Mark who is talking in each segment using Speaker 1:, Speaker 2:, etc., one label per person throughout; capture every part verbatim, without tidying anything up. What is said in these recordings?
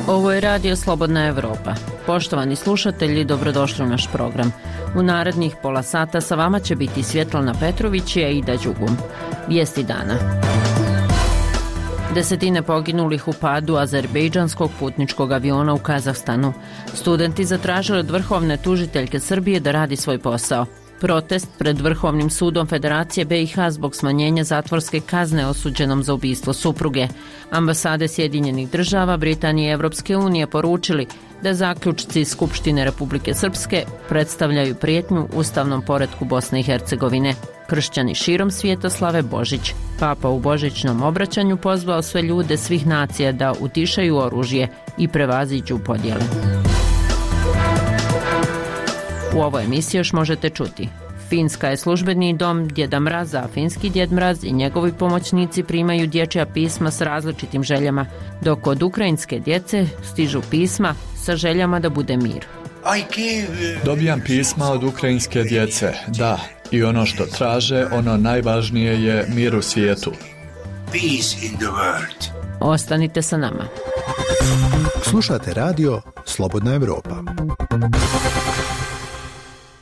Speaker 1: Ovo je Radio Slobodna Evropa. Poštovani slušatelji, dobrodošli u naš program. U narednih pola sata sa vama će biti Svjetlana Petrović i Aida Đugum. Vijesti dana. Desetine poginulih u padu azerbejdžanskog putničkog aviona u Kazahstanu. Studenti zatražili od vrhovne tužiteljke Srbije da radi svoj posao. Protest pred Vrhovnim sudom Federacije B i H zbog smanjenja zatvorske kazne osuđenom za ubistvo supruge. Ambasade Sjedinjenih država, Britanije i Evropske unije poručili da zaključci Skupštine Republike Srpske predstavljaju prijetnju ustavnom poretku Bosne i Hercegovine. Kršćani širom svijeta slave Božić. Papa u božićnom obraćanju pozvao sve ljude svih nacija da utišaju oružje i prevaziđu podjele. U ovoj emisiji još možete čuti. Finska je službeni dom Djeda Mraza, a finski Djed Mraz i njegovi pomoćnici primaju dječja pisma s različitim željama, dok od ukrajinske djece stižu pisma sa željama da bude mir.
Speaker 2: Dobijam pisma od ukrajinske djece, da, i ono što traže, ono najvažnije je mir u svijetu.
Speaker 1: Ostanite sa nama.
Speaker 3: Slušate radio Slobodna Evropa.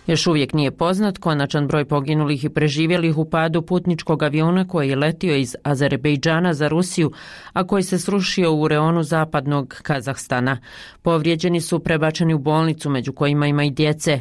Speaker 1: Još uvijek nije poznat konačan broj poginulih i preživjelih u padu putničkog aviona koji je letio iz Azerbejdžana za Rusiju, a koji se srušio u reonu zapadnog Kazahstana. Povrijeđeni su prebačeni u bolnicu, među kojima ima i djece.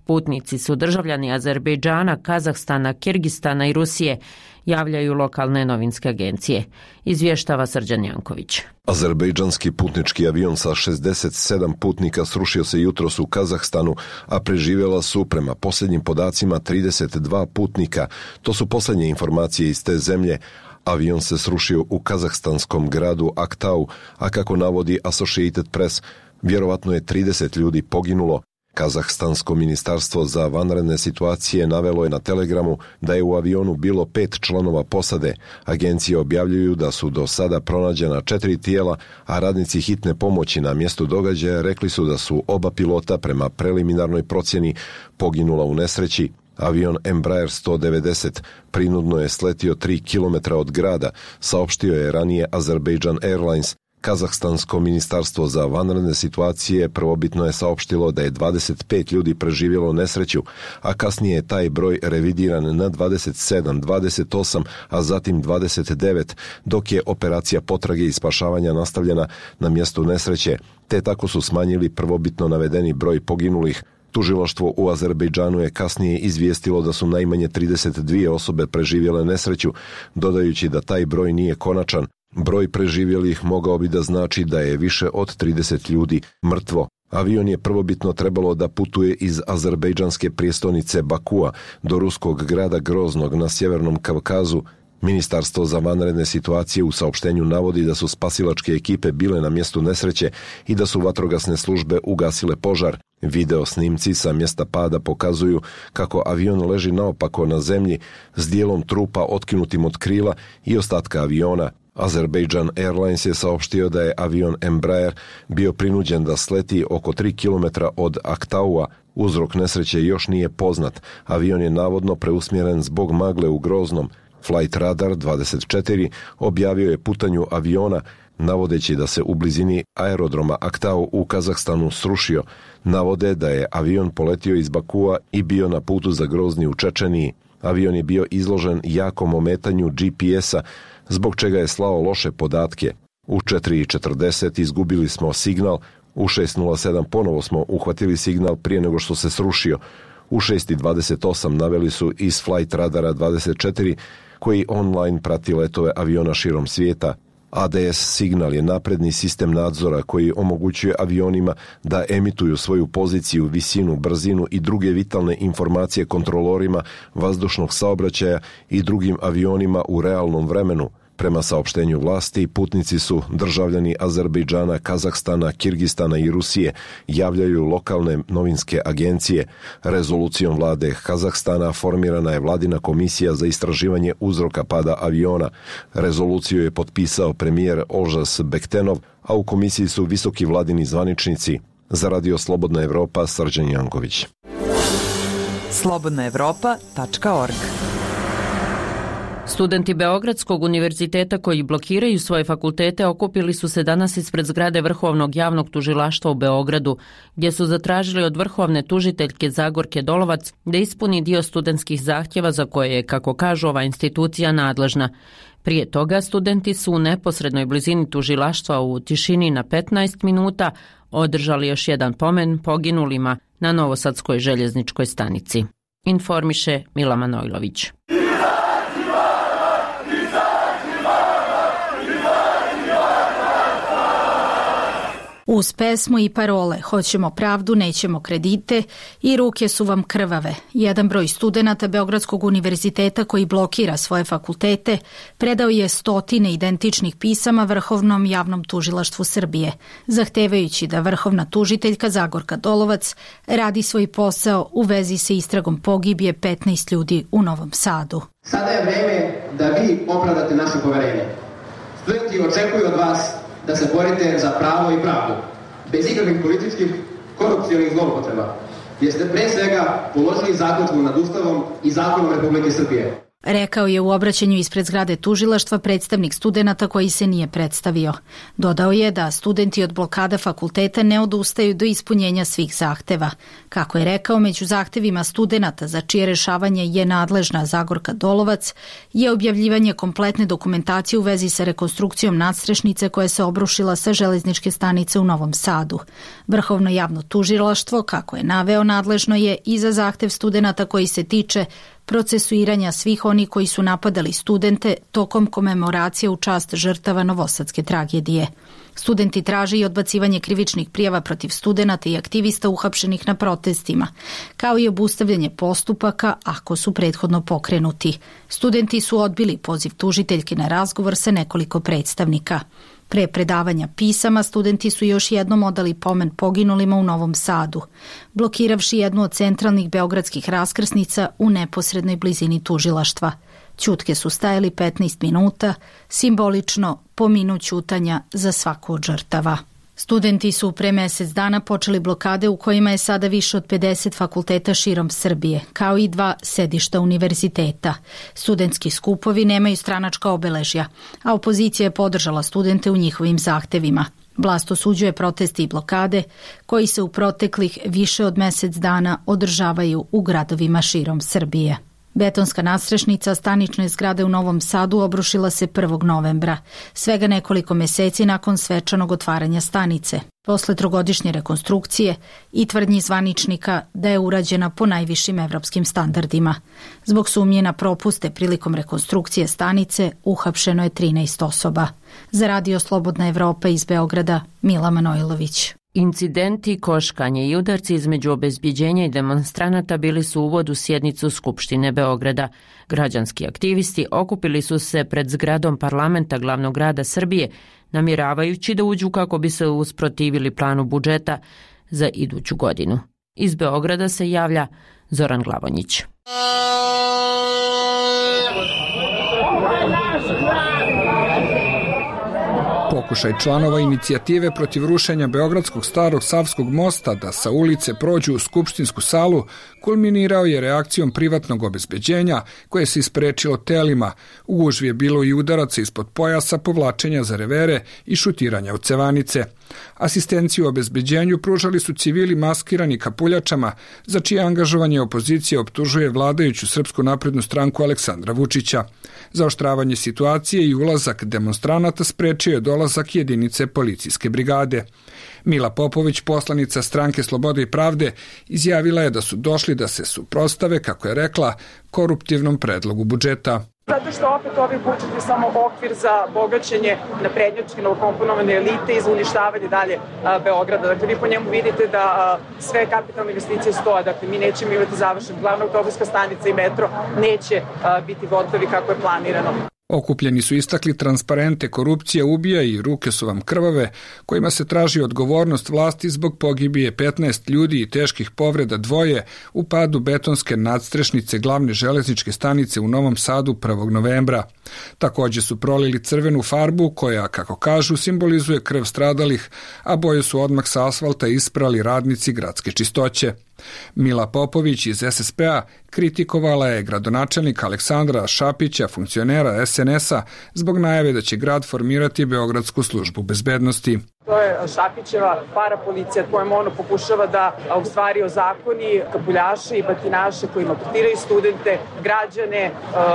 Speaker 1: Putnici su državljani Azerbejdžana, Kazahstana, Kirgistana i Rusije, javljaju lokalne novinske agencije. Izvještava Srđan Janković.
Speaker 4: Azerbejdžanski putnički avion sa šezdeset sedam putnika srušio se jutros u Kazahstanu, a preživjela su prema posljednjim podacima trideset dva putnika. To su posljednje informacije iz te zemlje. Avion se srušio u kazahstanskom gradu Aktau, a kako navodi Associated Press, vjerovatno je trideset ljudi poginulo. Kazahstansko ministarstvo za vanredne situacije navelo je na Telegramu da je u avionu bilo pet članova posade. Agencije objavljuju da su do sada pronađena četiri tijela, a radnici hitne pomoći na mjestu događaja rekli su da su oba pilota prema preliminarnoj procjeni poginula u nesreći. Avion Embraer sto devedeset prinudno je sletio tri kilometra od grada, saopštio je ranije Azerbaijan Airlines. Kazahstansko ministarstvo za vanredne situacije prvobitno je saopštilo da je dvadeset pet ljudi preživjelo nesreću, a kasnije je taj broj revidiran na dvadeset sedam, dvadeset osam, a zatim dvadeset devet, dok je operacija potrage i spašavanja nastavljena na mjestu nesreće, te tako su smanjili prvobitno navedeni broj poginulih. Tužilaštvo u Azerbejdžanu je kasnije izvijestilo da su najmanje trideset dvije osobe preživjele nesreću, dodajući da taj broj nije konačan. Broj preživjelih mogao bi da znači da je više od trideset ljudi mrtvo. Avion je prvobitno trebalo da putuje iz azerbejdžanske prijestolnice Bakua do ruskog grada Groznog na sjevernom Kavkazu. Ministarstvo za vanredne situacije u saopštenju navodi da su spasilačke ekipe bile na mjestu nesreće i da su vatrogasne službe ugasile požar. Video snimci sa mjesta pada pokazuju kako avion leži naopako na zemlji s dijelom trupa otkinutim od krila i ostatka aviona. Azerbaijan Airlines je saopštio da je avion Embraer bio prinuđen da sleti oko tri kilometra od Aktaua. Uzrok nesreće još nije poznat. Avion je navodno preusmjeren zbog magle u Groznom. Flight Radar dvadeset četiri objavio je putanju aviona, navodeći da se u blizini aerodroma Aktau u Kazahstanu srušio. Navode da je avion poletio iz Bakua i bio na putu za Grozni u Čečeniji. Avion je bio izložen jakom ometanju G P S-a, zbog čega je slao loše podatke. U četiri četrdeset izgubili smo signal, u šest nula sedam ponovo smo uhvatili signal prije nego što se srušio. U šest dvadeset osam naveli su iz Flight Radara dvadeset četiri, koji online prati letove aviona širom svijeta. A D S signal je napredni sistem nadzora koji omogućuje avionima da emituju svoju poziciju, visinu, brzinu i druge vitalne informacije kontrolorima vazdušnog saobraćaja i drugim avionima u realnom vremenu. Prema saopštenju vlasti, putnici su državljani Azerbejdžana, Kazahstana, Kirgistana i Rusije, javljaju lokalne novinske agencije. Rezolucijom vlade Kazahstana formirana je vladina komisija za istraživanje uzroka pada aviona. Rezoluciju je potpisao premijer Olžas Bektenov, a u komisiji su visoki vladini zvaničnici. Za Radio Slobodna Evropa, Srđan Janković.
Speaker 5: slobodna evropa tačka org
Speaker 1: Studenti Beogradskog univerziteta koji blokiraju svoje fakultete okupili su se danas ispred zgrade Vrhovnog javnog tužilaštva u Beogradu, gdje su zatražili od vrhovne tužiteljke Zagorke Dolovac da ispuni dio studentskih zahtjeva za koje je, kako kažu, ova institucija nadležna. Prije toga studenti su u neposrednoj blizini tužilaštva u tišini na petnaest minuta održali još jedan pomen poginulima na Novosadskoj željezničkoj stanici. Informiše Mila Manojlović.
Speaker 5: Uz pesmu i parole "Hoćemo pravdu, nećemo kredite" i "Ruke su vam krvave", jedan broj studenata Beogradskog univerziteta koji blokira svoje fakultete predao je stotine identičnih pisama Vrhovnom javnom tužilaštvu Srbije, zahtevajući da vrhovna tužiteljka Zagorka Dolovac radi svoj posao u vezi sa istragom pogibije petnaest ljudi u Novom Sadu.
Speaker 6: Sada je vreme da vi opravdate naše poverenje. Studenti očekuju od vas da se borite za pravo i pravdu, bez ikakvih političkih, korupcionih zloupotreba, jer ste pre svega položili zakletvu nad Ustavom i zakonom Republike Srbije.
Speaker 5: Rekao je u obraćanju ispred zgrade tužilaštva predstavnik studenata koji se nije predstavio. Dodao je da studenti od blokada fakulteta ne odustaju do ispunjenja svih zahteva. Kako je rekao, među zahtevima studenata za čije rešavanje je nadležna Zagorka Dolovac je objavljivanje kompletne dokumentacije u vezi sa rekonstrukcijom nadstrešnice koja se obrušila sa železničke stanice u Novom Sadu. Vrhovno javno tužilaštvo, kako je naveo, nadležno je i za zahtev studenata koji se tiče procesuiranja svih oni koji su napadali studente tokom komemoracije u čast žrtava novosadske tragedije. Studenti traže i odbacivanje krivičnih prijava protiv studenata i aktivista uhapšenih na protestima, kao i obustavljanje postupaka ako su prethodno pokrenuti. Studenti su odbili poziv tužiteljke na razgovor sa nekoliko predstavnika. Pre predavanja pisama, studenti su još jednom odali pomen poginulima u Novom Sadu, blokiravši jednu od centralnih beogradskih raskrsnica u neposrednoj blizini tužilaštva. Ćutke su stajali petnaest minuta, simbolično po minut ćutanja za svaku od žrtava. Studenti su pre mjesec dana počeli blokade u kojima je sada više od pedeset fakulteta širom Srbije, kao i dva sedišta univerziteta. Studentski skupovi nemaju stranačka obeležja, a opozicija je podržala studente u njihovim zahtevima. Vlast osuđuje proteste i blokade koji se u proteklih više od mjesec dana održavaju u gradovima širom Srbije. Betonska nadstrešnica stanične zgrade u Novom Sadu obrušila se prvog novembra, svega nekoliko mjeseci nakon svečanog otvaranja stanice, posle trogodišnje rekonstrukcije i tvrdnji zvaničnika da je urađena po najvišim evropskim standardima. Zbog sumnje na propuste prilikom rekonstrukcije stanice uhapšeno je trinaest osoba. Za Radio Slobodna Evropa iz Beograda, Mila Manojlović.
Speaker 1: Incidenti, koškanje i udarci između obezbjeđenja i demonstranata bili su uvod u sjednicu Skupštine Beograda. Građanski aktivisti okupili su se pred zgradom parlamenta glavnog grada Srbije, namjeravajući da uđu kako bi se usprotivili planu budžeta za iduću godinu. Iz Beograda se javlja Zoran Glavonjić.
Speaker 7: Pokušaj članova inicijative protiv rušenja Beogradskog starog Savskog mosta da sa ulice prođu u skupštinsku salu kulminirao je reakcijom privatnog obezbeđenja koje se isprečilo telima. U gužvi je bilo i udaraca ispod pojasa, povlačenja za revere i šutiranja u cevanice. Asistenciju obezbeđenju pružali su civili maskirani kapuljačama, za čije angažovanje opozicija optužuje vladajuću Srpsku naprednu stranku Aleksandra Vučića. Zaoštravanje situacije i ulazak demonstranata sprečio je dolazak jedinice policijske brigade. Mila Popović, poslanica stranke Slobode i pravde, izjavila je da su došli da se suprotstave, kako je rekla, koruptivnom predlogu budžeta.
Speaker 8: Zato što opet ovaj budžet je samo okvir za bogaćenje naprednjačke novokomponovane elite i za uništavanje dalje a, Beograda. Dakle, vi po njemu vidite da a, sve kapitalne investicije stoje. Dakle, mi nećemo imati završen. Glavna autobuska stanica i metro neće a, biti gotovi kako je planirano.
Speaker 7: Okupljeni su istakli transparente "Korupcija ubija" i "Ruke su vam krvave", kojima se traži odgovornost vlasti zbog pogibije petnaest ljudi i teških povreda dvoje u padu betonske nadstrešnice glavne železničke stanice u Novom Sadu prvog novembra. Također su prolili crvenu farbu koja, kako kažu, simbolizuje krv stradalih, a boje su odmah sa asfalta isprali radnici gradske čistoće. Mila Popović iz es es pe-a kritikovala je gradonačelnika Aleksandra Šapića, funkcionera es en es-a, zbog najave da će grad formirati Beogradsku službu bezbednosti.
Speaker 8: To je Šapićeva parapolicija kojom ono pokušava da u stvari ozakoni kapuljaše i batinaše koji maltretiraju studente, građane,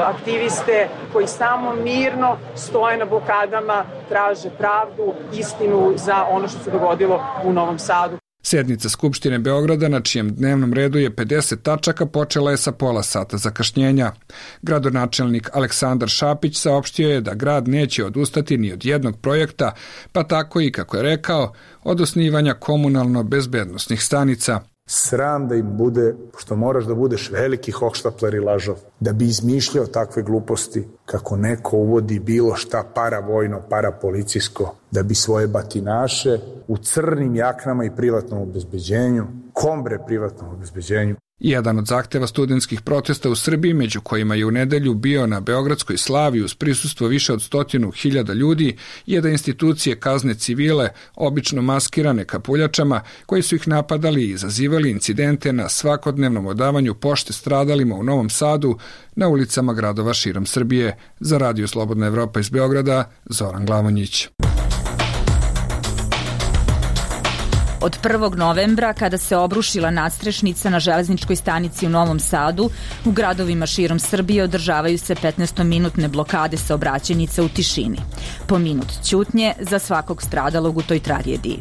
Speaker 8: aktiviste koji samo mirno stoje na blokadama, traže pravdu, istinu za ono što se dogodilo u Novom Sadu.
Speaker 7: Sednica Skupštine Beograda, na čijem dnevnom redu je pedeset tačaka, počela je sa pola sata zakašnjenja. Gradonačelnik Aleksandar Šapić saopštio je da grad neće odustati ni od jednog projekta, pa tako i, kako je rekao, od osnivanja komunalno-bezbednosnih stanica.
Speaker 9: Sram da im bude, što moraš da budeš veliki hohštapler i lažov, da bi izmišljao takve gluposti kako neko uvodi bilo šta paravojno, parapolicijsko, da bi svoje batinaše u crnim jaknama i privatnom obezbeđenju, kombre privatnom obezbeđenju.
Speaker 7: Jedan od zahteva studentskih protesta u Srbiji, među kojima je u nedelju bio na Beogradskoj slavi uz prisustvo više od stotinu hiljada ljudi, je da institucije kazne civile, obično maskirane kapuljačama, koji su ih napadali i izazivali incidente na svakodnevnom odavanju pošte stradalima u Novom Sadu, na ulicama gradova širom Srbije. Za Radio Slobodna Evropa iz Beograda, Zoran Glavonjić.
Speaker 10: Od prvog novembra, kada se obrušila nadstrešnica na železničkoj stanici u Novom Sadu, u gradovima širom Srbije održavaju se petnaestominutne blokade saobraćajnica u tišini. Po minut ćutnje za svakog stradalog u toj tragediji.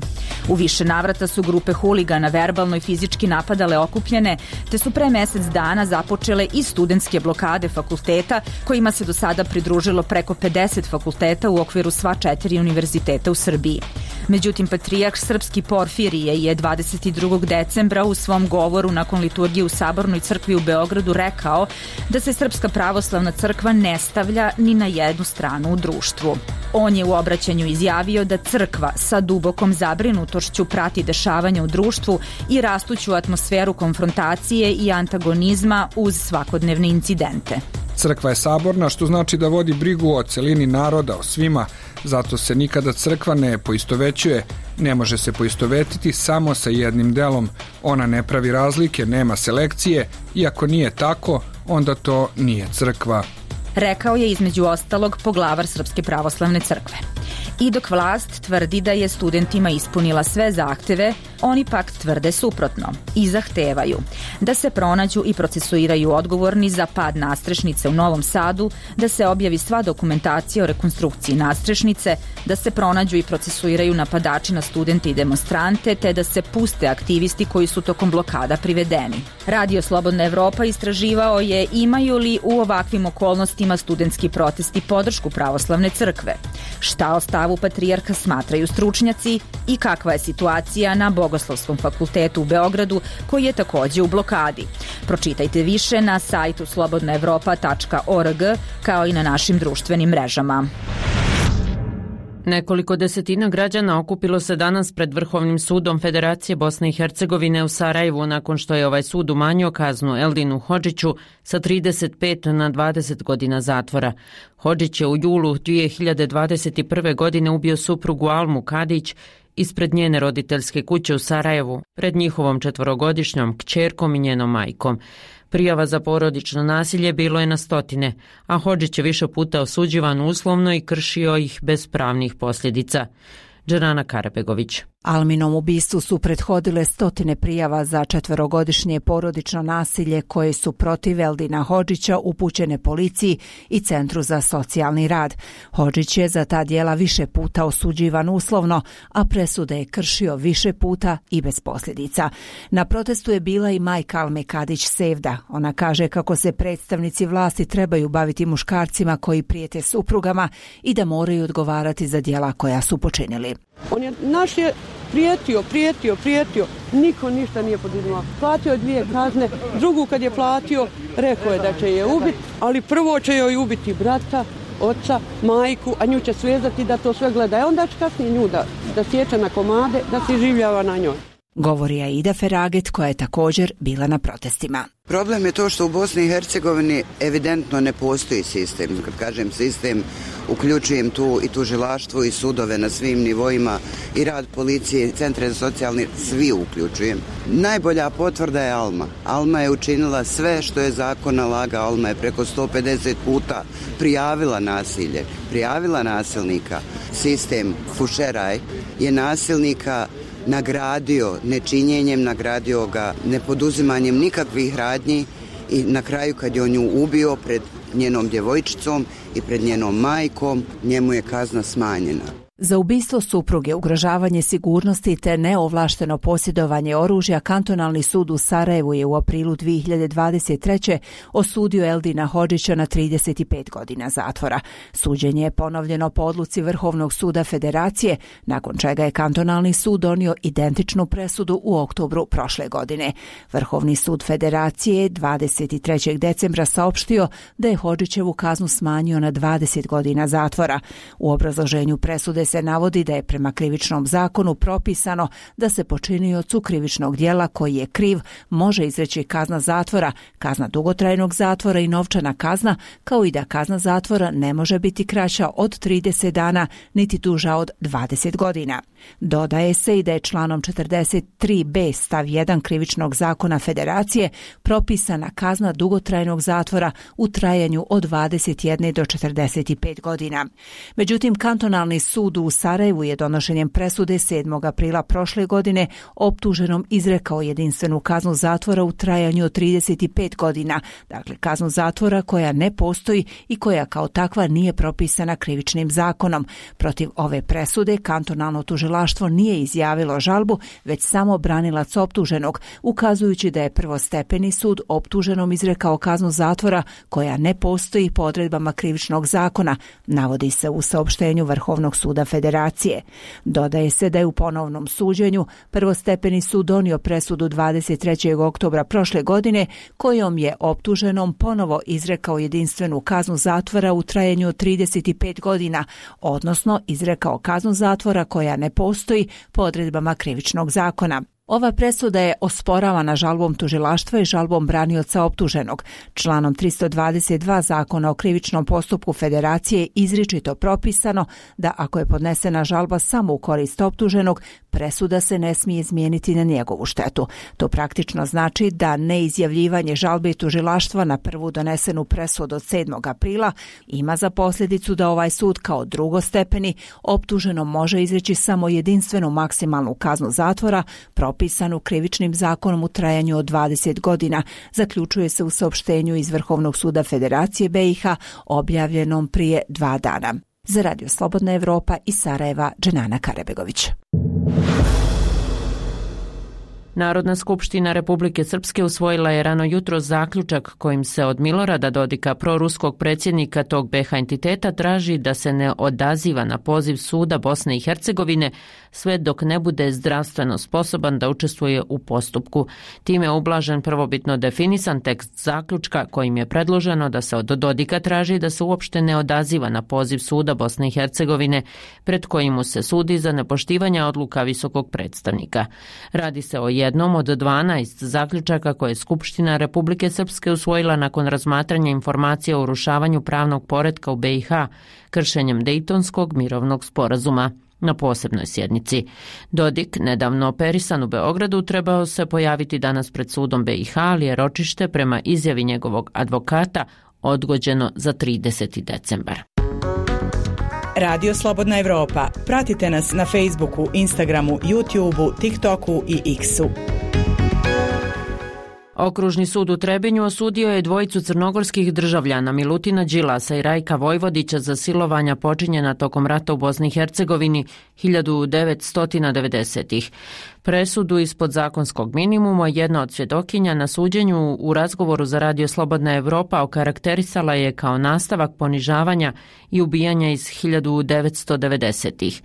Speaker 10: U više navrata su grupe huligana verbalno i fizički napadale okupljene, te su pre mesec dana započele i studentske blokade fakulteta, kojima se do sada pridružilo preko pedeset fakulteta u okviru sva četiri univerziteta u Srbiji. Međutim, patrijarh srpski Porfirije je dvadeset drugog decembra u svom govoru nakon liturgije u Sabornoj crkvi u Beogradu rekao da se Srpska pravoslavna crkva ne stavlja ni na jednu stranu u društvu. On je u obraćanju izjavio da crkva sa dubokom zabrinutošću prati dešavanja u društvu i rastuću atmosferu konfrontacije i antagonizma uz svakodnevne incidente.
Speaker 7: Crkva je saborna, što znači da vodi brigu o celini naroda, o svima. Zato se nikada crkva ne poistovećuje, ne može se poistovetiti samo sa jednim delom. Ona ne pravi razlike, nema selekcije, i ako nije tako, onda to nije crkva.
Speaker 10: Rekao je između ostalog poglavar Srpske pravoslavne crkve. I dok vlast tvrdi da je studentima ispunila sve zahteve, oni pak tvrde suprotno i zahtevaju da se pronađu i procesuiraju odgovorni za pad nadstrešnice u Novom Sadu, da se objavi sva dokumentacija o rekonstrukciji nadstrešnice, da se pronađu i procesuiraju napadači na studente i demonstrante, te da se puste aktivisti koji su tokom blokada privedeni. Radio Slobodna Evropa istraživao je imaju li u ovakvim okolnostima studentski protesti podršku pravoslavne crkve, šta o stavu patrijarha smatraju stručnjaci i kakva je situacija na Bogoslovskom fakultetu u Beogradu, koji je takođe u blokadi. Pročitajte više na sajtu slobodna evropa tačka org, kao i na našim društvenim mrežama.
Speaker 1: Nekoliko desetina građana okupilo se danas pred Vrhovnim sudom Federacije Bosne i Hercegovine u Sarajevu nakon što je ovaj sud umanjio kaznu Eldinu Hodžiću sa trideset pet na dvadeset godina zatvora. Hodžić je u julu dvije hiljade dvadeset prve. godine ubio suprugu Almu Kadić ispred njene roditeljske kuće u Sarajevu, pred njihovom četvorogodišnjom kćerkom i njenom majkom. Prijava za porodično nasilje bilo je na stotine, a Hodžić je više puta osuđivan uslovno i kršio ih bez pravnih posljedica. Džerana Karabegović.
Speaker 11: Alminom ubistvu su prethodile stotine prijava za četverogodišnje porodično nasilje koje su protiv Eldina Hodžića upućene policiji i Centru za socijalni rad. Hodžić je za ta djela više puta osuđivan uslovno, a presude je kršio više puta i bez posljedica. Na protestu je bila i majka Alme Kadić Sevda. Ona kaže kako se predstavnici vlasti trebaju baviti muškarcima koji prijete suprugama i da moraju odgovarati za djela koja su počinili.
Speaker 12: On je, naš je prijetio, prijetio, prijetio, niko ništa nije poduzimao. Platio je dvije kazne, drugu kad je platio, rekao je da će je ubiti, ali prvo će joj ubiti brata, oca, majku, a nju će svezati da to sve gleda. E onda će kasnije nju da, da sjeća na komade, da se življava na njoj.
Speaker 11: Govori Aida Feraget koja je također bila na protestima.
Speaker 13: Problem je to što u Bosni i Hercegovini evidentno ne postoji sistem. Kad kažem sistem, uključujem tu i tužilaštvo i sudove na svim nivoima i rad policije, centre za socijalni, svi uključujem. Najbolja potvrda je Alma. Alma je učinila sve što je zakon nalaga. Alma je preko sto pedeset puta prijavila nasilje, prijavila nasilnika. Sistem Fušeraj je nasilnika nagradio nečinjenjem, nagradio ga nepoduzimanjem nikakvih radnji i na kraju kad je on nju ubio pred njenom djevojčicom i pred njenom majkom, njemu je kazna smanjena.
Speaker 11: Za ubistvo supruge, ugrožavanje sigurnosti te neovlašteno posjedovanje oružja, kantonalni sud u Sarajevu je u aprilu dvije hiljade dvadeset treće osudio Eldina Hodžića na trideset pet godina zatvora. Suđenje je ponovljeno po odluci Vrhovnog suda Federacije, nakon čega je kantonalni sud donio identičnu presudu u oktobru prošle godine. Vrhovni sud Federacije dvadeset trećeg decembra saopštio da je Hodžićevu kaznu smanjio na dvadeset godina zatvora. U obrazloženju presude se navodi da je prema krivičnom zakonu propisano da se počiniocu krivičnog djela koji je kriv može izreći kazna zatvora, kazna dugotrajnog zatvora i novčana kazna, kao i da kazna zatvora ne može biti kraća od trideset dana niti duža od dvadeset godina. Dodaje se i da je članom četrdeset tri b stav jedan krivičnog zakona Federacije propisana kazna dugotrajnog zatvora u trajanju od dvadeset jedne do četrdeset pet godina. Međutim, kantonalni sud u Sarajevu je donošenjem presude sedmog aprila prošle godine optuženom izrekao jedinstvenu kaznu zatvora u trajanju od trideset pet godina, dakle kaznu zatvora koja ne postoji i koja kao takva nije propisana krivičnim zakonom. Protiv ove presude kantonalno tužilaštvo nije izjavilo žalbu, već samo branilac optuženog, ukazujući da je prvostepeni sud optuženom izrekao kaznu zatvora koja ne postoji po odredbama krivičnog zakona, navodi se u saopštenju Vrhovnog suda Federacije. Dodaje se da je u ponovnom suđenju prvostepeni sud donio presudu dvadeset trećeg oktobra prošle godine kojom je optuženom ponovo izrekao jedinstvenu kaznu zatvora u trajanju od trideset pet godina, odnosno izrekao kaznu zatvora koja ne postoji po odredbama krivičnog zakona. Ova presuda je osporavana žalbom tužilaštva i žalbom branioca optuženog. Članom tristo dvadeset dva Zakona o krivičnom postupku Federacije izričito propisano da ako je podnesena žalba samo u korist optuženog, presuda se ne smije izmijeniti na njegovu štetu. To praktično znači da neizjavljivanje žalbe tužilaštva na prvu donesenu presudu od sedmog aprila ima za posljedicu da ovaj sud kao drugostepeni optuženom može izreći samo jedinstvenu maksimalnu kaznu zatvora propisanu krivičnim zakonom u trajanju od dvadeset godina, zaključuje se u saopštenju iz Vrhovnog suda Federacije B i H objavljenom prije dva dana. Za Radio Slobodna Evropa iz Sarajeva, Dženana Karabegović.
Speaker 1: Narodna skupština Republike Srpske usvojila je rano jutro zaključak kojim se od Milorada Dodika, proruskog predsjednika tog B iH entiteta, traži da se ne odaziva na poziv suda Bosne i Hercegovine sve dok ne bude zdravstveno sposoban da učestvuje u postupku. Time je ublažen prvobitno definisan tekst zaključka kojim je predloženo da se od Dodika traži da se uopšte ne odaziva na poziv suda Bosne i Hercegovine pred kojim mu se sudi za nepoštivanje odluka visokog predstavnika. Radi se o jednom od dvanaest zaključaka koje je Skupština Republike Srpske usvojila nakon razmatranja informacija o urušavanju pravnog poretka u B iH kršenjem Dejtonskog mirovnog sporazuma. Na posebnoj sjednici. Dodik, nedavno operisan u Beogradu, trebao se pojaviti danas pred sudom B iH, ali je ročište prema izjavi njegovog advokata odgođeno za trideseti decembar.
Speaker 14: Radio Slobodna Evropa. Pratite nas na Facebooku, Instagramu, YouTubeu, TikToku i X-u.
Speaker 1: Okružni sud u Trebinju osudio je dvojicu crnogorskih državljana Milutina Đilasa i Rajka Vojvodića za silovanja počinjena tokom rata u Bosni i Hercegovini hiljadu devetsto devedesetih. Presudu ispod zakonskog minimuma jedna od svjedokinja na suđenju u razgovoru za Radio Slobodna Evropa okarakterisala je kao nastavak ponižavanja i ubijanja iz hiljadu devetsto devedesetih.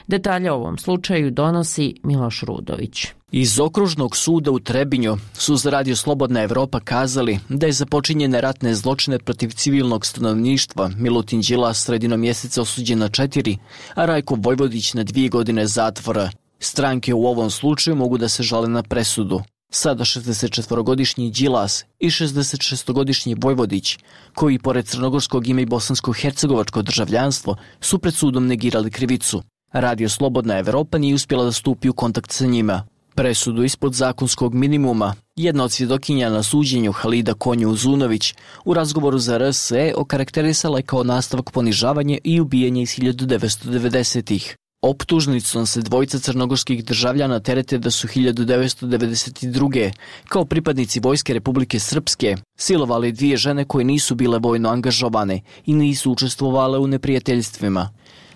Speaker 1: Detalje o ovom slučaju donosi Miloš Rudović.
Speaker 15: Iz Okružnog suda u Trebinju su za Radio Slobodna Evropa kazali da je za počinjene ratne zločine protiv civilnog stanovništva Milutin Đilas sredinom mjeseca osuđen na četiri, a Rajko Vojvodić na dvije godine zatvora. Stranke u ovom slučaju mogu da se žale na presudu. Sada šezdesetčetvorogodišnji Đilas i šezdesetšestogodišnji Vojvodić, koji pored crnogorskog ima i bosansko-hercegovačko državljanstvo, su pred sudom negirali krivicu. Radio Slobodna Evropa nije uspjela da stupi u kontakt sa njima. Presudu ispod zakonskog minimuma jedna od svjedokinja na suđenju, Halida Konju Uzunović, u razgovoru za R S E okarakterisala je kao nastavak ponižavanja i ubijanja iz hiljadu devetsto devedesetih. Optužnicom se dvojica crnogorskih državljana terete da su hiljadu devetsto devedeset druge kao pripadnici Vojske Republike Srpske silovali dvije žene koje nisu bile vojno angažovane i nisu učestvovale u neprijateljstvima.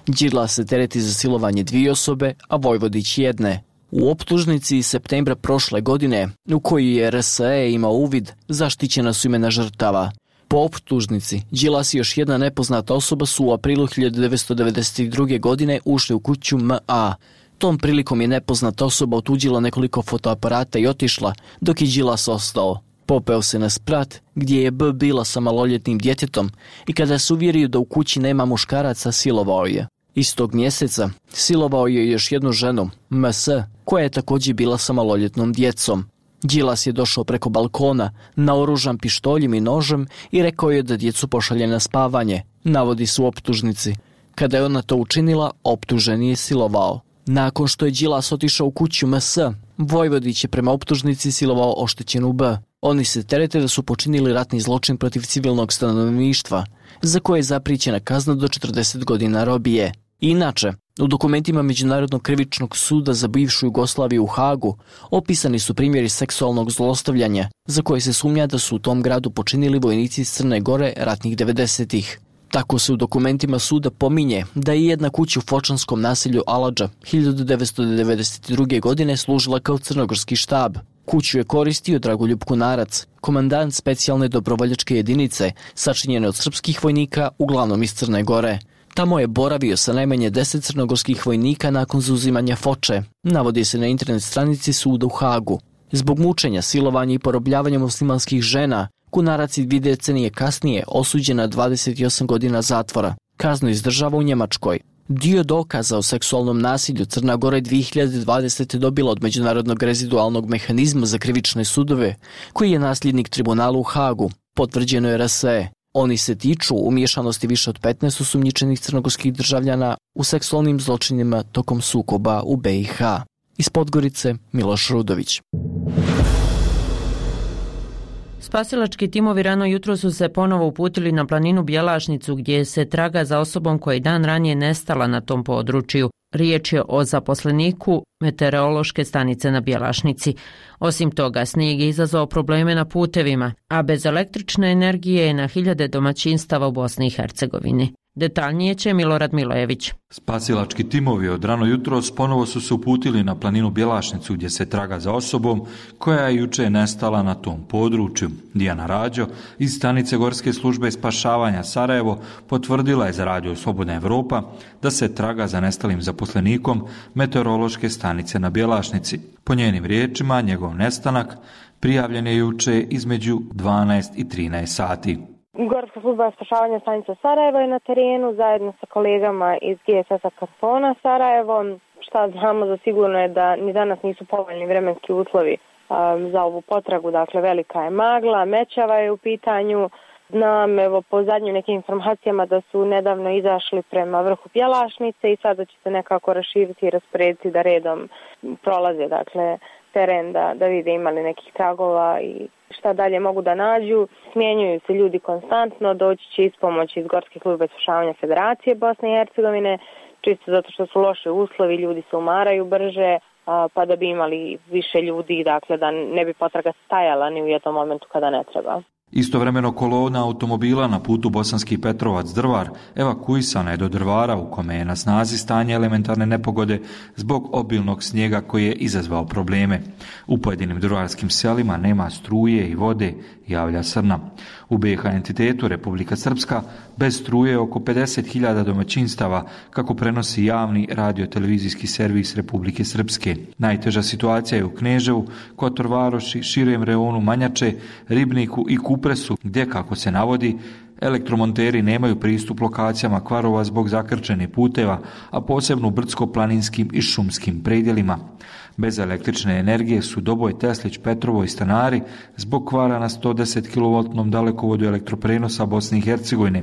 Speaker 15: Đilas se tereti za silovanje dvije osobe, a Vojvodić jedne. U optužnici iz septembra prošle godine, u kojoj je R S E imao uvid, zaštićena su imena žrtava. Po optužnici, Đilas i još jedna nepoznata osoba su u aprilu hiljadu devetsto devedeset druge. godine ušli u kuću M A. Tom prilikom je nepoznata osoba otuđila nekoliko fotoaparata i otišla, dok je Đilas ostao. Popeo se na sprat, gdje je B bila sa maloljetnim djetetom i kada se uvjerio da u kući nema muškaraca, silovao je. Istog mjeseca silovao je još jednu ženu, M S, koja je također bila sa maloljetnom djecom. Đilas je došao preko balkona, naoružan pištoljem i nožem i rekao je da djecu pošalje na spavanje, navodi su optužnici. Kada je ona to učinila, optuženi je silovao. Nakon što je Đilas otišao u kuću M S, Vojvodić je prema optužnici silovao oštećenu B. Oni se terete da su počinili ratni zločin protiv civilnog stanovništva, za koje je zapričena kazna do četrdeset godina robije. Inače, u dokumentima Međunarodnog krivičnog suda za bivšu Jugoslaviju u Hagu opisani su primjeri seksualnog zlostavljanja, za koje se sumnja da su u tom gradu počinili vojnici iz Crne Gore ratnih devedesetih. Tako se u dokumentima suda pominje da je jedna kuća u fočanskom naselju Aladža hiljadu devetsto devedeset druge. godine služila kao crnogorski štab. Kuću je koristio Dragoljub Kunarac, komandant specijalne dobrovoljačke jedinice, sačinjene od srpskih vojnika, uglavnom iz Crne Gore. Tamo je boravio sa najmanje deset crnogorskih vojnika nakon zauzimanja Foče, navodi se na internet stranici suda u Hagu. Zbog mučenja, silovanja i porobljavanja muslimanskih žena, Kunarac i dvije decenije kasnije osuđen na dvadeset osam godina zatvora. Kaznu izdržava u Njemačkoj. Dio dokaza o seksualnom nasilju Crna Gora je dvije hiljade dvadesete. dobila od Međunarodnog rezidualnog mehanizma za krivične sudove, koji je nasljednik tribunala u Hagu, potvrđeno je R S E. Oni se tiču umiješanosti više od petnaest osumnjičenih crnogorskih državljana u seksualnim zločinima tokom sukoba u B i H. Iz Podgorice, Miloš Rudović.
Speaker 1: Spasilački timovi rano jutro su se ponovo uputili na planinu Bjelašnicu, gdje se traga za osobom koja je dan ranije nestala na tom području. Riječ je o zaposleniku meteorološke stanice na Bjelašnici. Osim toga, snijeg je izazvao probleme na putevima, a bez električne energije je na hiljade domaćinstava u Bosni i Hercegovini. Detaljnije će Milorad Milojević.
Speaker 16: Spasilački timovi od rano jutros ponovo su se uputili na planinu Bjelašnicu, gdje se traga za osobom koja je juče nestala na tom području. Dijana Rađo iz stanice Gorske službe spašavanja Sarajevo potvrdila je za Radio Slobodna Evropa da se traga za nestalim zaposlenikom meteorološke stanice na Bjelašnici. Po njenim riječima, njegov nestanak prijavljen je juče između dvanaest i trinaest sati.
Speaker 17: Gorska služba spašavanja stanica Sarajevo je na terenu zajedno sa kolegama iz G S S-a Kantona Sarajevo. Šta znamo za sigurno je da ni danas nisu povoljni vremenski uslovi um, za ovu potragu, dakle velika je magla, mećava je u pitanju. Znam, evo, po zadnjim nekim informacijama da su nedavno izašli prema vrhu Bjelašnice i sada će se nekako raširiti i rasporediti da redom prolaze, dakle, teren da, da vide imali nekih tragova i šta dalje mogu da nađu. Smjenjuju se ljudi konstantno, doći će ispomoć iz Gorske službe spašavanja Federacije Bosne i Hercegovine, čisto zato što su loše uslovi, ljudi se umaraju brže, pa da bi imali više ljudi, dakle da ne bi potraga stajala ni u jednom momentu kada ne treba.
Speaker 16: Istovremeno kolona automobila na putu Bosanski Petrovac-Drvar evakuisana je do Drvara, u kome je na snazi stanje elementarne nepogode zbog obilnog snijega koji je izazvao probleme. U pojedinim drvarskim selima nema struje i vode, javlja Srna. U B i H entitetu Republika Srpska bez struje oko pedeset hiljada domaćinstava, kako prenosi javni radio-televizijski servis Republike Srpske. Najteža situacija je u Kneževu, Kotor Varoši, širem reonu Manjače, Ribniku i Kupresu, gdje, kako se navodi, Elektromonteri nemaju pristup lokacijama kvarova zbog zakrčenih puteva, a posebno u brdsko-planinskim i šumskim predjelima. Bez električne energije su Doboj, Teslić, Petrovo i stanari zbog kvara na sto deset kilovoltnom dalekovodu elektroprenosa Bosne i Hercegovine,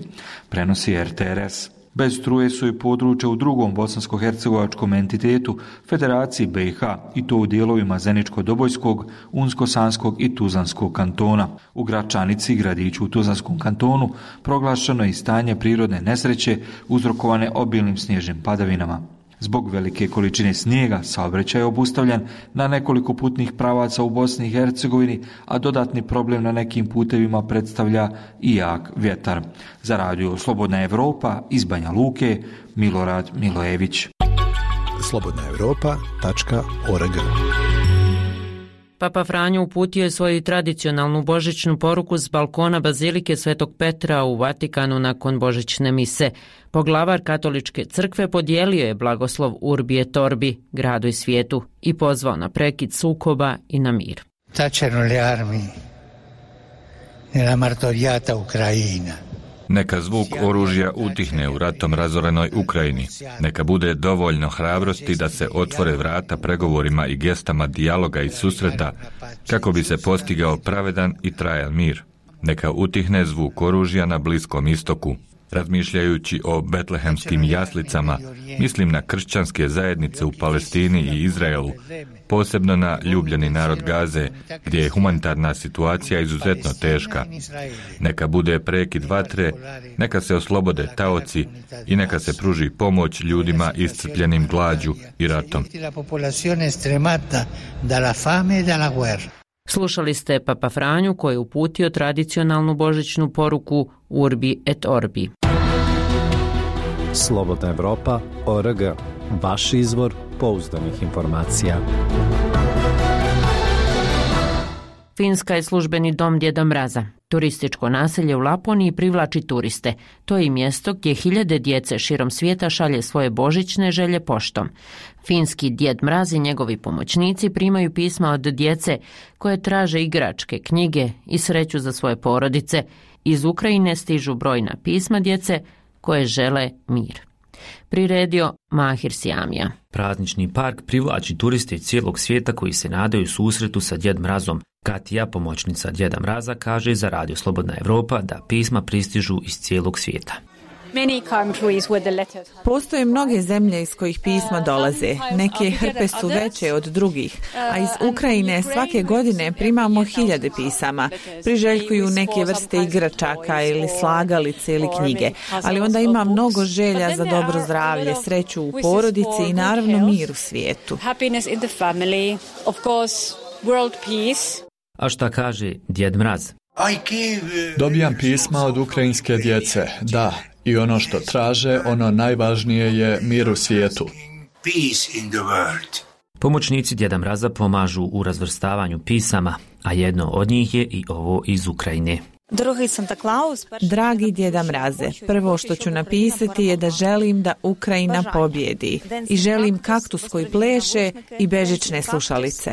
Speaker 16: prenosi R T R S. Bez struje su i područja u drugom bosansko-hercegovačkom entitetu, Federaciji B i H, i to u dijelovima Zeničko-Dobojskog, Unsko-Sanskog i Tuzlanskog kantona. U Gračanici, gradiću u Tuzlanskom kantonu, proglašeno je i stanje prirodne nesreće uzrokovane obilnim snježnim padavinama. Zbog velike količine snijega saobraćaj je obustavljen na nekoliko putnih pravaca u Bosni i Hercegovini, a dodatni problem na nekim putevima predstavlja i jak vjetar. Za radio Slobodna Evropa iz Banja Luke, Milorad Milojević.
Speaker 3: slobodna evropa tačka org.
Speaker 1: Papa Franjo uputio je svoju tradicionalnu božićnu poruku s balkona Bazilike Svetog Petra u Vatikanu nakon božićne mise. Poglavar katoličke crkve podijelio je blagoslov Urbi et Orbi, gradu i svijetu, i pozvao na prekid sukoba i na mir.
Speaker 18: Tacciano le armi nella martoriata Ucraina.
Speaker 19: Neka zvuk oružja utihne u ratom razorenoj Ukrajini. Neka bude dovoljno hrabrosti da se otvore vrata pregovorima i gestama dijaloga i susreta kako bi se postigao pravedan i trajan mir. Neka utihne zvuk oružja na Bliskom istoku. Razmišljajući o betlehemskim jaslicama, mislim na kršćanske zajednice u Palestini i Izraelu, posebno na ljubljeni narod Gaze, gdje je humanitarna situacija izuzetno teška. Neka bude prekid vatre, neka se oslobode taoci i neka se pruži pomoć ljudima iscrpljenim glađu i ratom.
Speaker 1: Slušali ste Papa Franju koji je uputio tradicionalnu božićnu poruku Urbi et Orbi.
Speaker 20: Slobodna Evropa, O R G, vaš izvor pouzdanih informacija.
Speaker 1: Finska je službeni dom Djeda Mraza. Turističko naselje u Laponiji privlači turiste. To je i mjesto gdje hiljade djece širom svijeta šalje svoje božićne želje poštom. Finski Djed Mraz i njegovi pomoćnici primaju pisma od djece koje traže igračke, knjige i sreću za svoje porodice. Iz Ukrajine stižu brojna pisma djece koje žele mir. Priredio Mahir Sijamija.
Speaker 21: Praznični park privlači turiste iz cijelog svijeta koji se nadaju susretu sa Djed Mrazom. Katija, pomoćnica Djeda Mraza, kaže za Radio Slobodna Evropa da pisma pristižu iz cijelog svijeta.
Speaker 22: Postoje mnoge zemlje iz kojih pisma dolaze. Neke hrpe su veće od drugih, a iz Ukrajine svake godine primamo hiljade pisama. Priželjkuju neke vrste igračaka ili slagalice ili knjige, ali onda ima mnogo želja za dobro zdravlje, sreću u porodici i naravno mir u svijetu.
Speaker 21: A šta kaže Djed Mraz?
Speaker 2: Dobijam pisma od ukrajinske djece, da, i ono što traže, ono najvažnije je mir u svijetu.
Speaker 21: Pomoćnici Djeda Mraza pomažu u razvrstavanju pisama, a jedno od njih je i ovo iz Ukrajine.
Speaker 22: Dragi Djeda Mraze, prvo što ću napisati je da želim da Ukrajina pobjedi i želim kaktus koji pleše i bežične slušalice.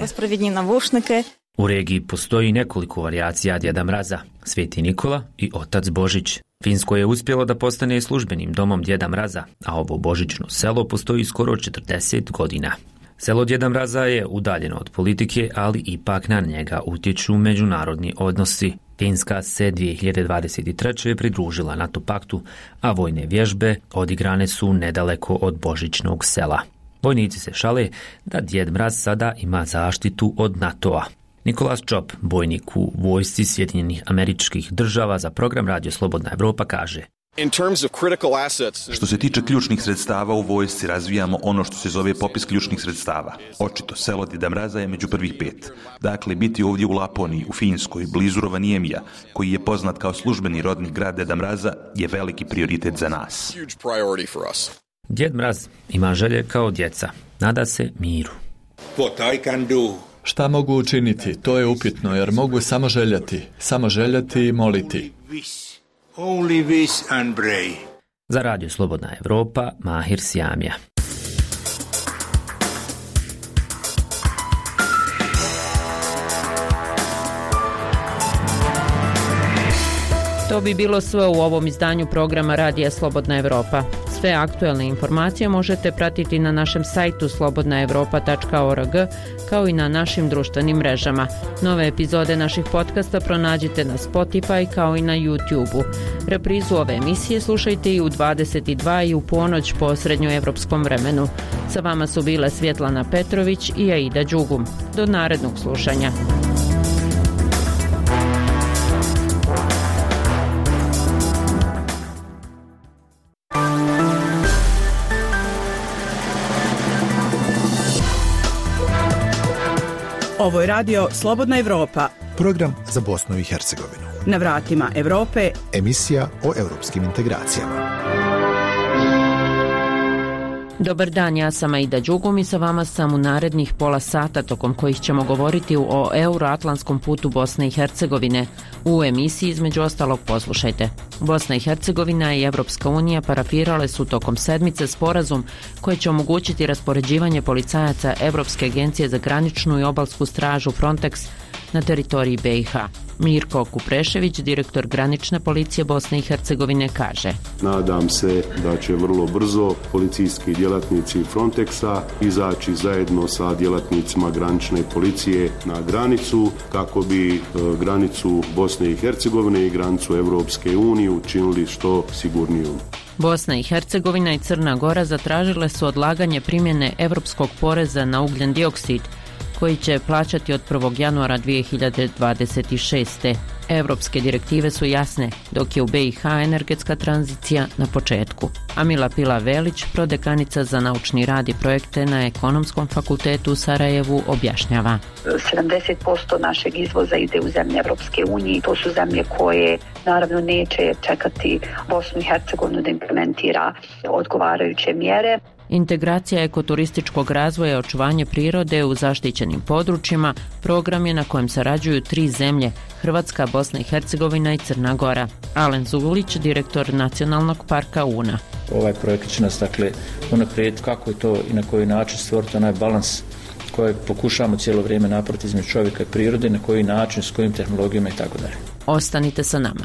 Speaker 21: U regiji postoji nekoliko varijacija Djeda Mraza, Sveti Nikola i Otac Božić. Finsko je uspjelo da postane službenim domom Djeda Mraza, a ovo božićno selo postoji skoro četrdeset godina. Selo Djeda Mraza je udaljeno od politike, ali ipak na njega utječu međunarodni odnosi. Finska se dvije hiljade dvadeset treće pridružila NATO paktu, a vojne vježbe odigrane su nedaleko od božićnog sela. Vojnici se šale da Djed Mraz sada ima zaštitu od NATO-a. Nikolas Čop, bojnik u vojsci Sjedinjenih Američkih Država za program Radio Slobodna Evropa, kaže:
Speaker 23: Što se tiče ključnih sredstava u vojsci, razvijamo ono što se zove popis ključnih sredstava. Očito, selo Djeda Mraza je među prvih pet. Dakle, biti ovdje u Laponiji, u Finskoj, blizu Rovaniemija, koji je poznat kao službeni rodni grad Djeda Mraza, je veliki prioritet za nas.
Speaker 21: Djed Mraz ima želje kao djeca. Nada se miru.
Speaker 2: Šta mogu učiniti? To je upitno, jer mogu samo željeti. Samo željeti i moliti.
Speaker 21: Za Radio Slobodna Evropa, Mahir Sijamija.
Speaker 1: To bi bilo sve u ovom izdanju programa Radija Slobodna Evropa. Sve aktuelne informacije možete pratiti na našem sajtu slobodna evropa tačka org, kao i na našim društvenim mrežama. Nove epizode naših podcasta pronađite na Spotify kao i na YouTube-u. Reprizu ove emisije slušajte i u dvadeset i dva i u ponoć po srednjoevropskom vremenu. Sa vama su bile Svjetlana Petrović i Aida Đugum. Do narednog slušanja.
Speaker 14: Ovo je radio Slobodna Evropa.
Speaker 3: Program za Bosnu i Hercegovinu.
Speaker 14: Na vratima Evrope.
Speaker 3: Emisija o europskim integracijama.
Speaker 1: Dobar dan, ja sam Aida Đugum i sa vama sam u narednih pola sata tokom kojih ćemo govoriti o euroatlantskom putu Bosne i Hercegovine. U emisiji između ostalog poslušajte. Bosna i Hercegovina i Evropska unija parafirale su tokom sedmice sporazum koji će omogućiti raspoređivanje policajaca Evropske agencije za graničnu i obalsku stražu Frontex na teritoriji B i H. Mirko Kuprešević, direktor granične policije Bosne i Hercegovine, kaže:
Speaker 4: Nadam se da će vrlo brzo policijski djelatnici Frontexa izaći zajedno sa djelatnicima granične policije na granicu kako bi e, granicu Bosne i Hercegovine i granicu Evropske unije učinili što sigurnijom.
Speaker 1: Bosna i Hercegovina i Crna Gora zatražile su odlaganje primjene evropskog poreza na ugljen dioksid, koji će plaćati od prvog januara dvije hiljade dvadeset šeste. Evropske direktive su jasne, dok je u B i H energetska tranzicija na početku. Amila Pila Velić, prodekanica za naučni rad i projekte na Ekonomskom fakultetu u Sarajevu, objašnjava.
Speaker 5: sedamdeset posto našeg izvoza ide u zemlje Evropske unije. To su zemlje koje naravno neće čekati Bosnu i Hercegovinu da implementira odgovarajuće mjere.
Speaker 1: Integracija ekoturističkog razvoja i očuvanje prirode u zaštićenim područjima program je na kojem sarađuju tri zemlje: Hrvatska, Bosna i Hercegovina i Crna Gora. Alen Zulić, direktor Nacionalnog parka Una.
Speaker 6: Ovaj projekt će nas dakle unaprijed kako je to i na koji način stvoriti onaj balans koji pokušavamo cijelo vrijeme napraviti između čovjeka i prirode, na koji način, s kojim tehnologijama i tako dalje.
Speaker 1: Ostanite sa nama.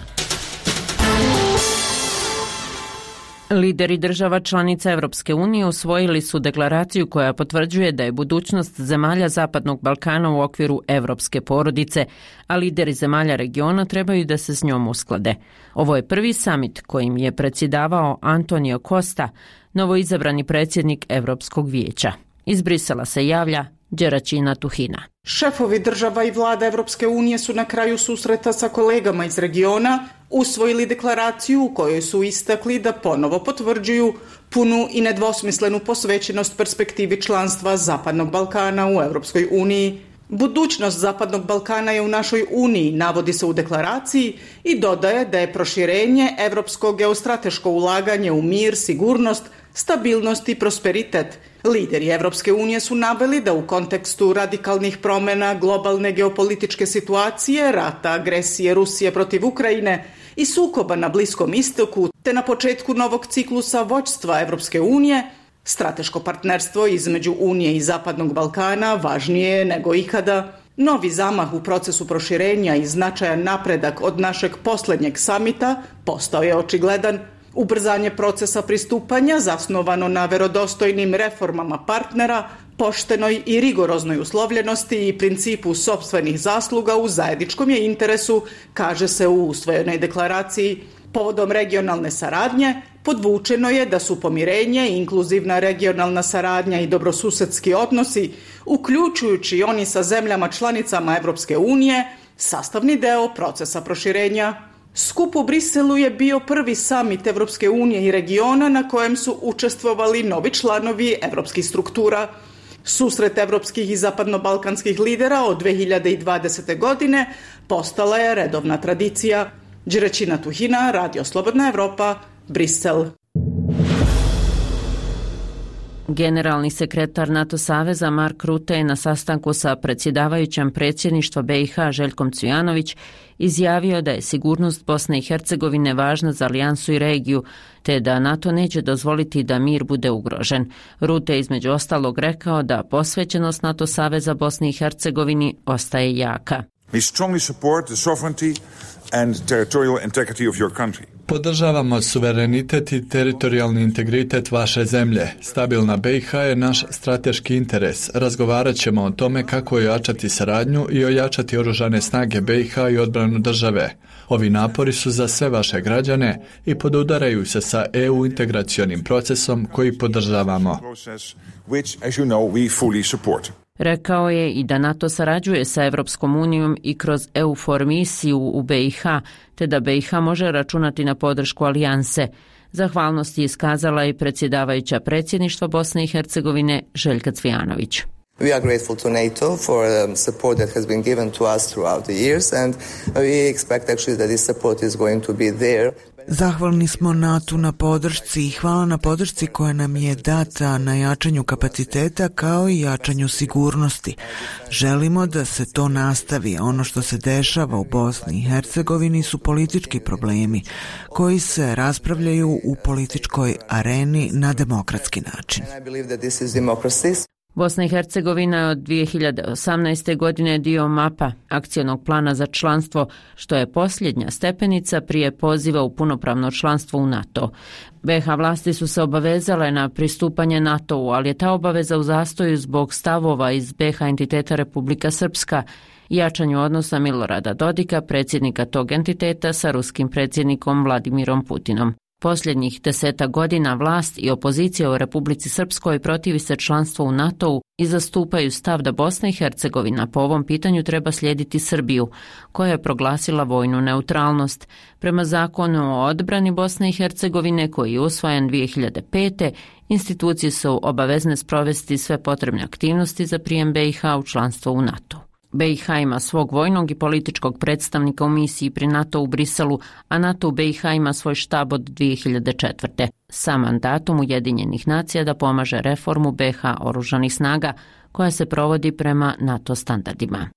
Speaker 1: Lideri država članica Evropske unije usvojili su deklaraciju koja potvrđuje da je budućnost zemalja Zapadnog Balkana u okviru evropske porodice, a lideri zemalja regiona trebaju da se s njom usklade. Ovo je prvi samit kojim je predsjedavao Antonio Costa, novoizabrani predsjednik Evropskog vijeća. Iz Brisela se javlja Đeraćina Tuhina.
Speaker 24: Šefovi država i vlada Evropske unije su na kraju susreta sa kolegama iz regiona usvojili deklaraciju u kojoj su istakli da ponovo potvrđuju punu i nedvosmislenu posvećenost perspektivi članstva Zapadnog Balkana u Evropskoj uniji. Budućnost Zapadnog Balkana je u našoj uniji, navodi se u deklaraciji, i dodaje da je proširenje evropsko geostrateško ulaganje u mir, sigurnost, stabilnost i prosperitet. Lideri Evropske unije su naveli da u kontekstu radikalnih promjena globalne geopolitičke situacije, rata, agresije Rusije protiv Ukrajine i sukoba na Bliskom istoku, te na početku novog ciklusa vođstva Evropske unije, strateško partnerstvo između Unije i Zapadnog Balkana važnije je nego ikada. Novi zamah u procesu proširenja i značajan napredak od našeg posljednjeg samita postao je očigledan. Ubrzanje procesa pristupanja zasnovano na verodostojnim reformama partnera, poštenoj i rigoroznoj uslovljenosti i principu sopstvenih zasluga u zajedničkom je interesu, kaže se u usvojenoj deklaraciji. Povodom regionalne saradnje podvučeno je da su pomirenje, inkluzivna regionalna saradnja i dobrosusedski odnosi, uključujući oni sa zemljama članicama Evropske unije, sastavni deo procesa proširenja. Skup u Briselu je bio prvi samit Evropske unije i regiona na kojem su učestvovali novi članovi evropskih struktura. Susret evropskih i zapadnobalkanskih lidera od dvije hiljade dvadesete. godine postala je redovna tradicija. Đeraćina Tuhina, Radio Slobodna Evropa, Brisel.
Speaker 1: Generalni sekretar NATO saveza Mark Rutte je na sastanku sa predsjedavajućem predsjedništva B i H Željkom Cvijanović izjavio da je sigurnost Bosne i Hercegovine važna za alijansu i regiju, te da NATO neće dozvoliti da mir bude ugrožen. Rutte je između ostalog rekao da posvećenost NATO saveza Bosni i Hercegovini ostaje jaka.
Speaker 7: We strongly support the sovereignty and territorial integrity of your country.
Speaker 2: Podržavamo suverenitet i teritorijalni integritet vaše zemlje. Stabilna B i H je naš strateški interes. Razgovarat ćemo o tome kako ojačati saradnju i ojačati oružane snage B i H i odbranu države. Ovi napori su za sve vaše građane i podudaraju se sa E U integracionim procesom koji podržavamo.
Speaker 1: Rekao je i da NATO sarađuje sa Evropskom unijom i kroz E U for misiju u B i H, te da B i H može računati na podršku alijanse. Zahvalnost je iskazala i predsjedavajuća predsjedništva Bosne i Hercegovine Željka Cvijanović.
Speaker 8: We are grateful to NATO for um, support that has been given to us throughout the years, and we expect actually that this support is going to be there.
Speaker 9: Zahvalni smo NATO na podršci i hvala na podršci koja nam je data na jačanju kapaciteta kao i jačanju sigurnosti. Želimo da se to nastavi. Ono što se dešava u Bosni i Hercegovini su politički problemi koji se raspravljaju u političkoj areni na demokratski način.
Speaker 1: Bosna i Hercegovina je od dvije hiljade osamnaeste. godine dio mapa akcionog plana za članstvo, što je posljednja stepenica prije poziva u punopravno članstvo u NATO. B i H vlasti su se obavezale na pristupanje NATO-u, ali je ta obaveza u zastoju zbog stavova iz B i H entiteta Republika Srpska i jačanju odnosa Milorada Dodika, predsjednika tog entiteta, sa ruskim predsjednikom Vladimirom Putinom. Posljednjih deseta godina vlast i opozicija u Republici Srpskoj protivi se članstvu u NATO-u i zastupaju stav da Bosna i Hercegovina po ovom pitanju treba slijediti Srbiju, koja je proglasila vojnu neutralnost. Prema zakonu o odbrani Bosne i Hercegovine, koji je usvojen dvije hiljade pete. institucije su obavezne sprovesti sve potrebne aktivnosti za prijem B i H u članstvo u NATO. B i H ima svog vojnog i političkog predstavnika u misiji pri NATO u Briselu, a NATO u B i H ima svoj štab od dvije hiljade četvrte. sa mandatom Ujedinjenih nacija da pomaže reformu B i H oružanih snaga koja se provodi prema NATO standardima.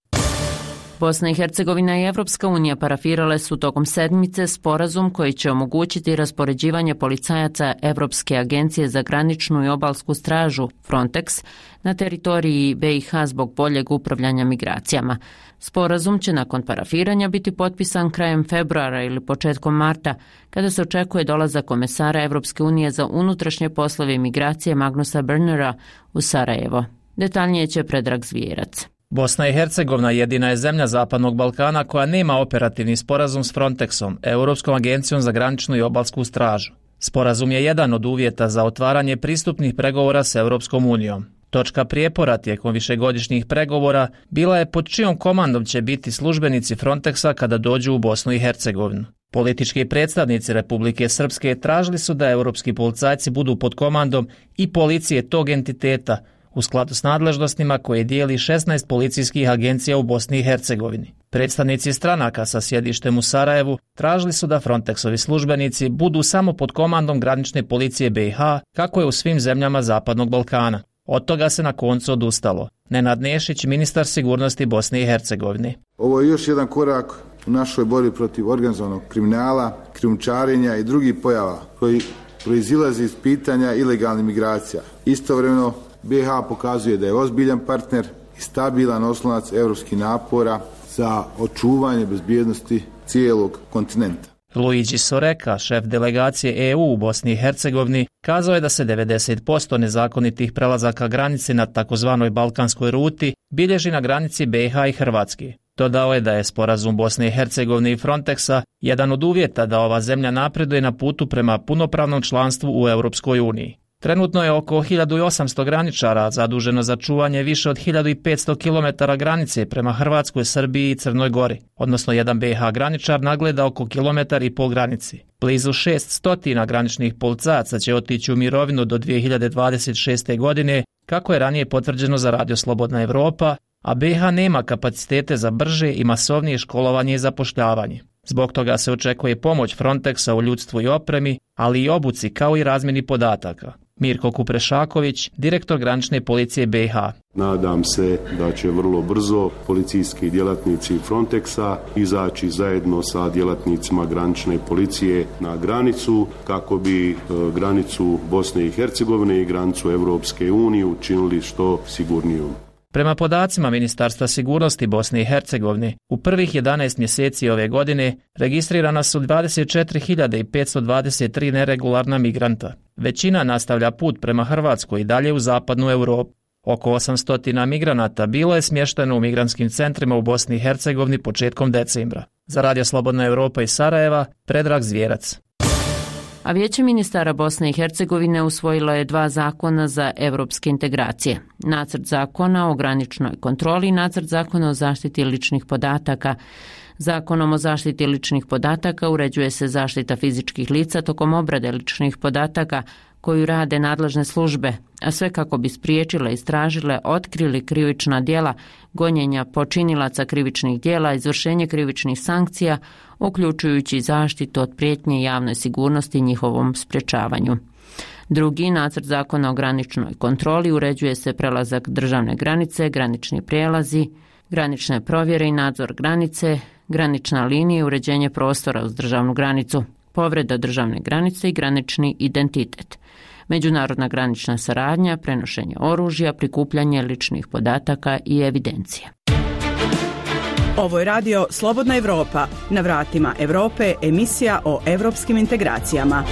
Speaker 1: Bosna i Hercegovina i Evropska unija parafirale su tokom sedmice sporazum koji će omogućiti raspoređivanje policajaca Evropske agencije za graničnu i obalsku stražu Frontex na teritoriji B i H zbog boljeg upravljanja migracijama. Sporazum će nakon parafiranja biti potpisan krajem februara ili početkom marta, kada se očekuje dolazak komesara Evropske unije za unutrašnje poslove i migracije Magnusa Bernera u Sarajevo. Detaljnije će Predrag Zvijerac.
Speaker 10: Bosna i Hercegovina jedina je zemlja Zapadnog Balkana koja nema operativni sporazum s Frontexom, Europskom agencijom za graničnu i obalsku stražu. Sporazum je jedan od uvjeta za otvaranje pristupnih pregovora s Europskom unijom. Točka prijepora tijekom višegodišnjih pregovora bila je pod čijom komandom će biti službenici Frontexa kada dođu u Bosnu i Hercegovinu. Politički predstavnici Republike Srpske tražili su da europski policajci budu pod komandom i policije tog entiteta, u skladu s nadležnostima koje dijeli šesnaest policijskih agencija u Bosni i Hercegovini. Predstavnici stranaka sa sjedištem u Sarajevu tražili su da Frontexovi službenici budu samo pod komandom granične policije B i H, kako je u svim zemljama Zapadnog Balkana. Od toga se na koncu odustalo. Nenad Nešić, ministar sigurnosti Bosne i Hercegovine.
Speaker 25: Ovo je još jedan korak u našoj borbi protiv organizovanog kriminala, krijumčarenja i drugih pojava koji proizilazi iz pitanja ilegalnih migracija. Istovremeno B i H pokazuje da je ozbiljan partner i stabilan oslonac europskih napora za očuvanje bezbjednosti cijelog kontinenta.
Speaker 10: Luigi Soreka, šef delegacije E U u Bosni i Hercegovini, kazao je da se devedeset posto nezakonitih prelazaka granice na takozvanoj balkanskoj ruti bilježi na granici B i H i Hrvatske. Dodao je da je sporazum Bosne i Hercegovine i Frontexa jedan od uvjeta da ova zemlja napreduje na putu prema punopravnom članstvu u Europskoj uniji. Trenutno je oko hiljadu osamsto graničara zaduženo za čuvanje više od hiljadu petsto kilometara granice prema Hrvatskoj, Srbiji i Crnoj Gori, odnosno jedan B i H graničar nagleda oko kilometar i pol granici. Blizu šeststo graničnih policajaca će otići u mirovinu do dvije hiljade dvadeset šeste. godine, kako je ranije potvrđeno za Radio Slobodna Evropa, a B i H nema kapacitete za brže i masovnije školovanje i zapošljavanje. Zbog toga se očekuje pomoć Frontexa u ljudstvu i opremi, ali i obuci kao i razmjeni podataka. Mirko Kuprešaković, direktor granične policije B i H.
Speaker 4: Nadam se da će vrlo brzo policijski djelatnici Frontexa izaći zajedno sa djelatnicima granične policije na granicu kako bi e, granicu Bosne i Hercegovine i granicu Europske unije učinili što sigurnijom.
Speaker 10: Prema podacima Ministarstva sigurnosti Bosne i Hercegovine, u prvih jedanaest mjeseci ove godine registrirana su dvadeset četiri hiljade petsto dvadeset tri neregularna migranta. Većina nastavlja put prema Hrvatskoj i dalje u zapadnu Europu. Oko osamsto migranata bilo je smješteno u migrantskim centrima u Bosni i Hercegovini početkom decembra. Za Radio Slobodna Europa iz Sarajeva, Predrag Zvjerac.
Speaker 1: A Vijeće ministara Bosne i Hercegovine usvojilo je dva zakona za evropske integracije. Nacrt zakona o graničnoj kontroli i nacrt zakona o zaštiti ličnih podataka. Zakonom o zaštiti ličnih podataka uređuje se zaštita fizičkih lica tokom obrade ličnih podataka koju rade nadležne službe, a sve kako bi spriječile, istražile, otkrili krivična djela, gonjenja počinilaca krivičnih djela, izvršenje krivičnih sankcija, uključujući zaštitu od prijetnje javnoj sigurnosti i njihovom sprječavanju. Drugi nacrt zakona o graničnoj kontroli uređuje se prelazak državne granice, granični prijelazi, granične provjere i nadzor granice, granična linija i uređenje prostora uz državnu granicu, povreda državne granice i granični identitet, međunarodna granična saradnja, prenošenje oružja, prikupljanje ličnih podataka i evidencije.
Speaker 14: Ovo je radio Slobodna Europa. Na vratima Europe emisija o europskim integracijama.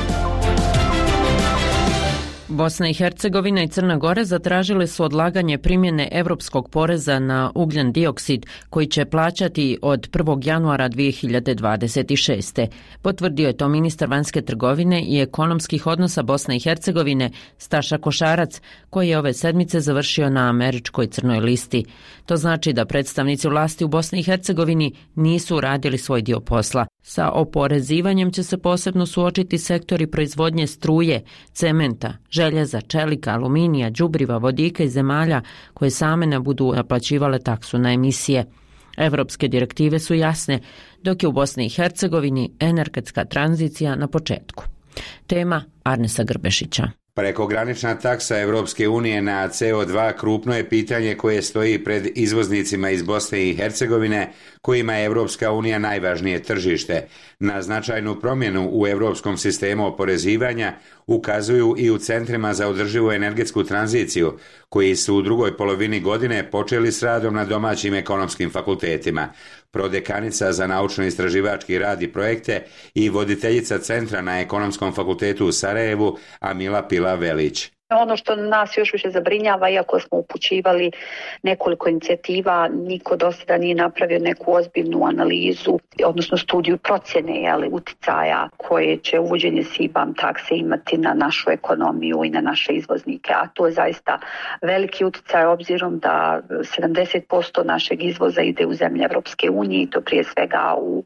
Speaker 1: Bosna i Hercegovina i Crna Gora zatražile su odlaganje primjene europskog poreza na ugljen dioksid koji će plaćati od prvog januara dvije hiljade dvadeset šeste. Potvrdio je to ministar vanjske trgovine i ekonomskih odnosa Bosne i Hercegovine Staša Košarac, koji je ove sedmice završio na američkoj crnoj listi. To znači da predstavnici vlasti u Bosni i Hercegovini nisu uradili svoj dio posla. Sa oporezivanjem će se posebno suočiti sektori proizvodnje struje, cementa, željeza, čelika, aluminija, đubriva, vodika i zemalja koje same ne budu naplaćivale taksu na emisije. Evropske direktive su jasne, dok je u Bosni i Hercegovini energetska tranzicija na početku. Tema Arnesa Grbešića.
Speaker 11: Prekogranična taksa Evropske unije na C O dva krupno je pitanje koje stoji pred izvoznicima iz Bosne i Hercegovine, kojima je Evropska unija najvažnije tržište. Na značajnu promjenu u europskom sistemu oporezivanja ukazuju i u centrima za održivu energetsku tranziciju, koji su u drugoj polovini godine počeli s radom na domaćim ekonomskim fakultetima. Prodekanica za naučno-istraživački rad i projekte i voditeljica centra na Ekonomskom fakultetu u Sarajevu, Amila Pila Velić.
Speaker 5: Ono što nas još više zabrinjava, iako smo upućivali nekoliko inicijativa, niko do sada nije napravio neku ozbiljnu analizu, odnosno studiju procjene jeli, uticaja koje će uvođenje C B A M takse imati na našu ekonomiju i na naše izvoznike. A to je zaista veliki uticaj obzirom da sedamdeset posto našeg izvoza ide u zemlje Evropske unije i to prije svega u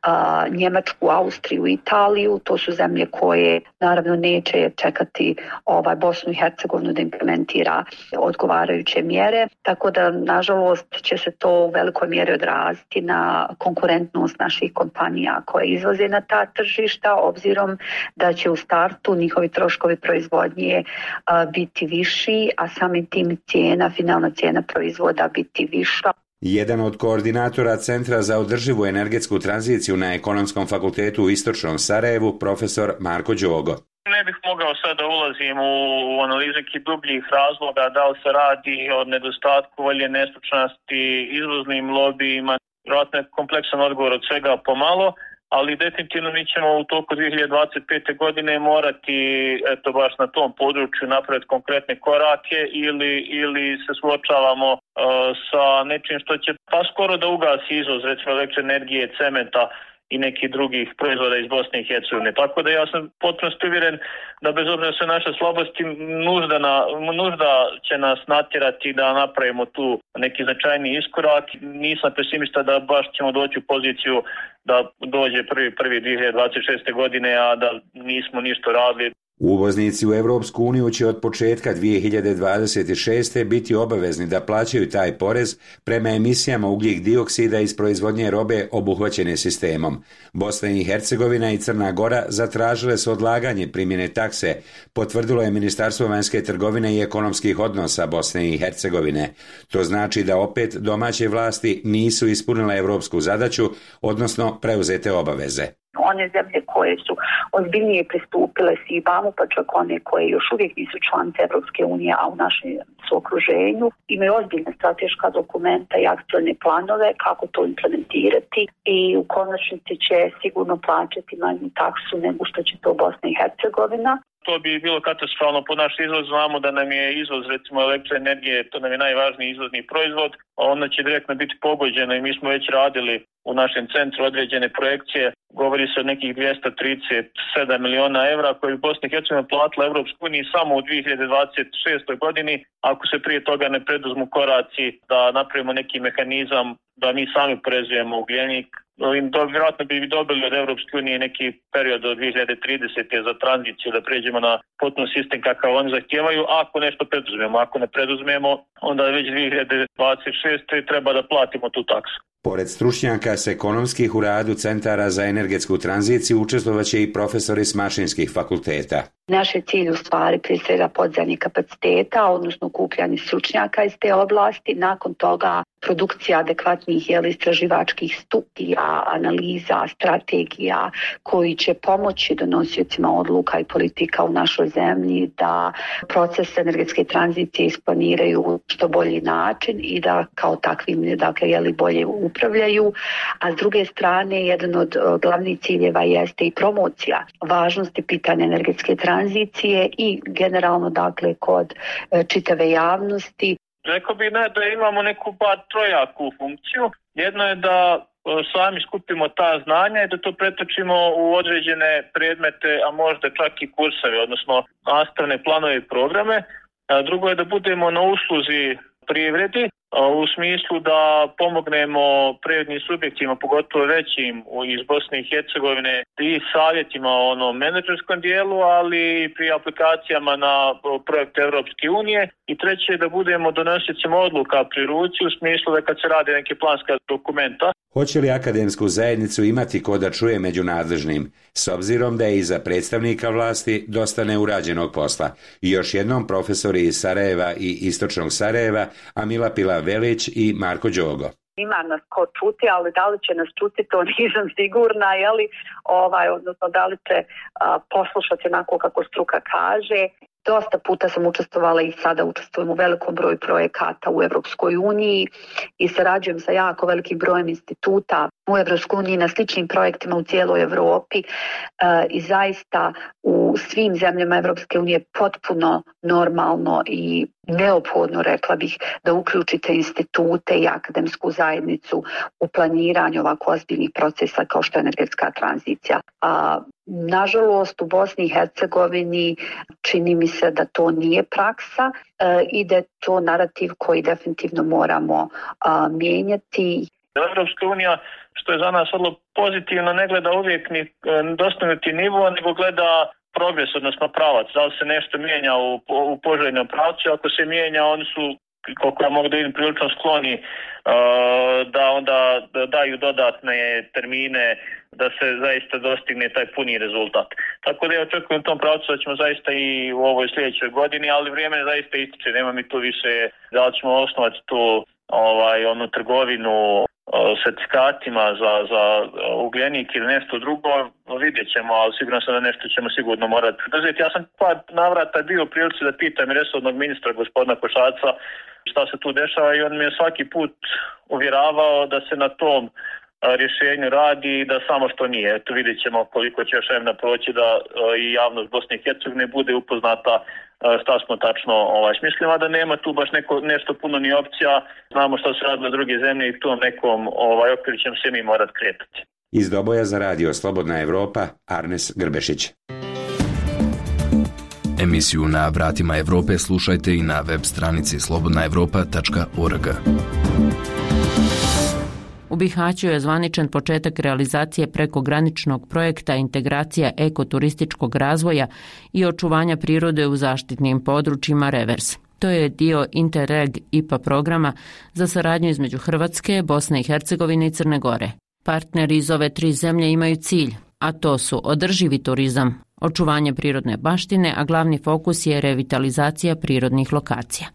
Speaker 5: a, Njemačku, Austriju, Italiju. To su zemlje koje naravno neće čekati ovaj Bosnu i Hercegovinu da implementira odgovarajuće mjere, tako da nažalost će se to u velikoj mjeri odraziti na konkurentnost naših kompanija koje izvoze na ta tržišta, obzirom da će u startu njihovi troškovi proizvodnje a, biti viši, a samim tim cijena, finalna cijena proizvoda biti viša.
Speaker 11: Jedan od koordinatora Centra za održivu energetsku tranziciju na Ekonomskom fakultetu u Istočnom Sarajevu, profesor Marko Đogo.
Speaker 12: Ne bih mogao sad da ulazim u, u analizu nekih dubljih razloga, da li se radi o nedostatku volje, nestručnosti, izvoznim lobijima. Vjerojatno je kompleksan odgovor od svega pomalo, ali definitivno mi ćemo u toku dvije hiljade dvadeset pete. godine morati eto baš na tom području napraviti konkretne korake ili, ili se suočavamo uh, sa nečim što će pa skoro da ugasi izvoz, recimo električne energije, cementa i nekih drugih proizvoda iz Bosne i Hercegovine. Tako da ja sam potpuno uvjeren da bez obzira sve naše slabosti nužda, na, nužda će nas natjerati da napravimo tu neki značajni iskorak. Nisam pesimista da baš ćemo doći u poziciju da dođe prvi prvi dvije hiljade dvadeset šeste. godine, a da nismo ništa radili.
Speaker 11: Uvoznici u Europsku uniju će od početka dvije hiljade dvadeset šeste. biti obavezni da plaćaju taj porez prema emisijama ugljik dioksida iz proizvodnje robe obuhvaćene sistemom. Bosna i Hercegovina i Crna Gora zatražile su odlaganje primjene takse, potvrdilo je Ministarstvo vanjske trgovine i ekonomskih odnosa Bosne i Hercegovine. To znači da opet domaće vlasti nisu ispunile europsku zadaću, odnosno preuzete obaveze.
Speaker 5: One zemlje koje su ozbiljnije pristupile S I B A M-u, pa čak one koje još uvijek nisu članice Evropske unije, a u našem su okruženju, imaju ozbiljne strateška dokumenta i akcione planove kako to implementirati i u konačnici će sigurno plaćati manju taksu nego što će to Bosna i Hercegovina.
Speaker 12: To bi bilo katastrofalno po naš izvoz. Znamo da nam je izvoz, recimo elektroenergije, to nam je najvažniji izvozni proizvod, a onda će direktno biti pogođeno i mi smo već radili u našem centru određene projekcije. Govori se o nekih dvjesto trideset sedam miliona evra koje bi Bosna i Hercegovina platila Evropskoj uniji samo u dvije hiljade dvadeset šestoj godini, ako se prije toga ne preduzmu koraci da napravimo neki mehanizam da mi sami oporezujemo ugljenik. Vjerojatno bi dobili od Evropske unije neki period do dvije hiljade tridesete za tranziciju da pređemo na potpuno sistem kakav oni zahtijevaju, ako nešto preduzmemo. Ako ne preduzmemo, onda već dvije hiljade dvadeset šeste treba da platimo tu taksu.
Speaker 11: Pored stručnjaka s ekonomskih u radu centara za energetsku tranziciju učestvovaće i profesori s mašinskih fakulteta.
Speaker 5: Naš je cilj u stvari prije svega podzemnih kapaciteta, odnosno okupljanje stručnjaka iz te oblasti, nakon toga produkcija adekvatnih jeli, istraživačkih studija, analiza, strategija koji će pomoći donosiocima odluka i politika u našoj zemlji da proces energetske tranzicije isplaniraju u što bolji način i da kao takvim dakle, jeli, bolje upravljaju. A s druge strane, jedan od glavnih ciljeva jeste i promocija važnosti pitanja energetske tranzicije i generalno dakle kod čitave javnosti.
Speaker 12: Rekao bih ne, da imamo neku bar trojaku funkciju. Jedno je da sami skupimo ta znanja i da to pretočimo u određene predmete, a možda čak i kurseve, odnosno nastavne planove i programe. A drugo je da budemo na usluzi privredi, u smislu da pomognemo privrednim subjektima, pogotovo većim iz Bosne i Hercegovine i savjetima o onom menadžerskom dijelu, ali i pri aplikacijama na projekt Evropske unije. I treće je da budemo donosiocima odluka pri ruci, u smislu da kad se rade neke planska dokumenta.
Speaker 11: Hoće li akademsku zajednicu imati ko da čuje među nadležnim, s obzirom da je iza predstavnika vlasti dosta neurađenog posla? I još jednom profesori iz Sarajeva i Istočnog Sarajeva, Amila Pila-Velić i Marko Đogo.
Speaker 5: Ima nas ko čuti, ali da li će nas čuti, to nisam sigurna, jeli, ovaj, odnosno da li će a, poslušati onako kako struka kaže. Dosta puta sam učestvovala i sada učestvujem u velikom broju projekata u Evropskoj uniji i sarađujem sa jako velikim brojem instituta u Evropskoj uniji na sličnim projektima u cijeloj Europi e, i zaista u svim zemljama Evropske unije potpuno normalno i neophodno, rekla bih, da uključite institute i akademsku zajednicu u planiranju ovako ozbiljnih procesa kao što je energetska tranzicija. A, nažalost, u Bosni i Hercegovini čini mi se da to nije praksa e, i da je to narativ koji definitivno moramo a, mijenjati.
Speaker 12: Evropska unija, što je za nas vrlo pozitivno, ne gleda uvijek ni dostignuti nivo, nego gleda progres, odnosno pravac. Da li se nešto mijenja u, u poželjnom pravcu, ako se mijenja, oni su, koliko ja mogu da vidim, prilično skloni uh, da onda daju dodatne termine da se zaista dostigne taj puni rezultat. Tako da ja očekujem u tom pravcu da ćemo zaista i u ovoj sljedećoj godini, ali vrijeme zaista ističe, nema mi tu više da li ćemo osnovati tu ovaj, onu trgovinu certifikatima za, za ugljenik ili nešto drugo, vidjet ćemo, ali sigurno sam da nešto ćemo sigurno morati poduzeti. Ja sam par navrata bio u prilici da pitam resornog ministra gospodina Košaca šta se tu dešava i on mi je svaki put uvjeravao da se na tom rješenju radi i da samo što nije. Eto, vidjet ćemo koliko će još vremena proći da i javnost Bosne i Hercegovine bude upoznata šta smo tačno ovaj, smislimo, da nema tu baš neko, nešto puno ni opcija. Znamo što se radilo druge zemlje i tom nekom ovaj, okviru ćemo se mi morat kretati.
Speaker 11: Iz Doboja za radio Slobodna Evropa, Arnes Grbešić.
Speaker 13: Emisiju Na vratima Evrope slušajte i na web stranici slobodna evropa tačka org.
Speaker 1: U Bihaću je zvaničan početak realizacije prekograničnog projekta integracija ekoturističkog razvoja i očuvanja prirode u zaštitnim područjima Revers. To je dio Interreg I P A programa za saradnju između Hrvatske, Bosne i Hercegovine i Crne Gore. Partneri iz ove tri zemlje imaju cilj, a to su održivi turizam, očuvanje prirodne baštine, a glavni fokus je revitalizacija prirodnih lokacija.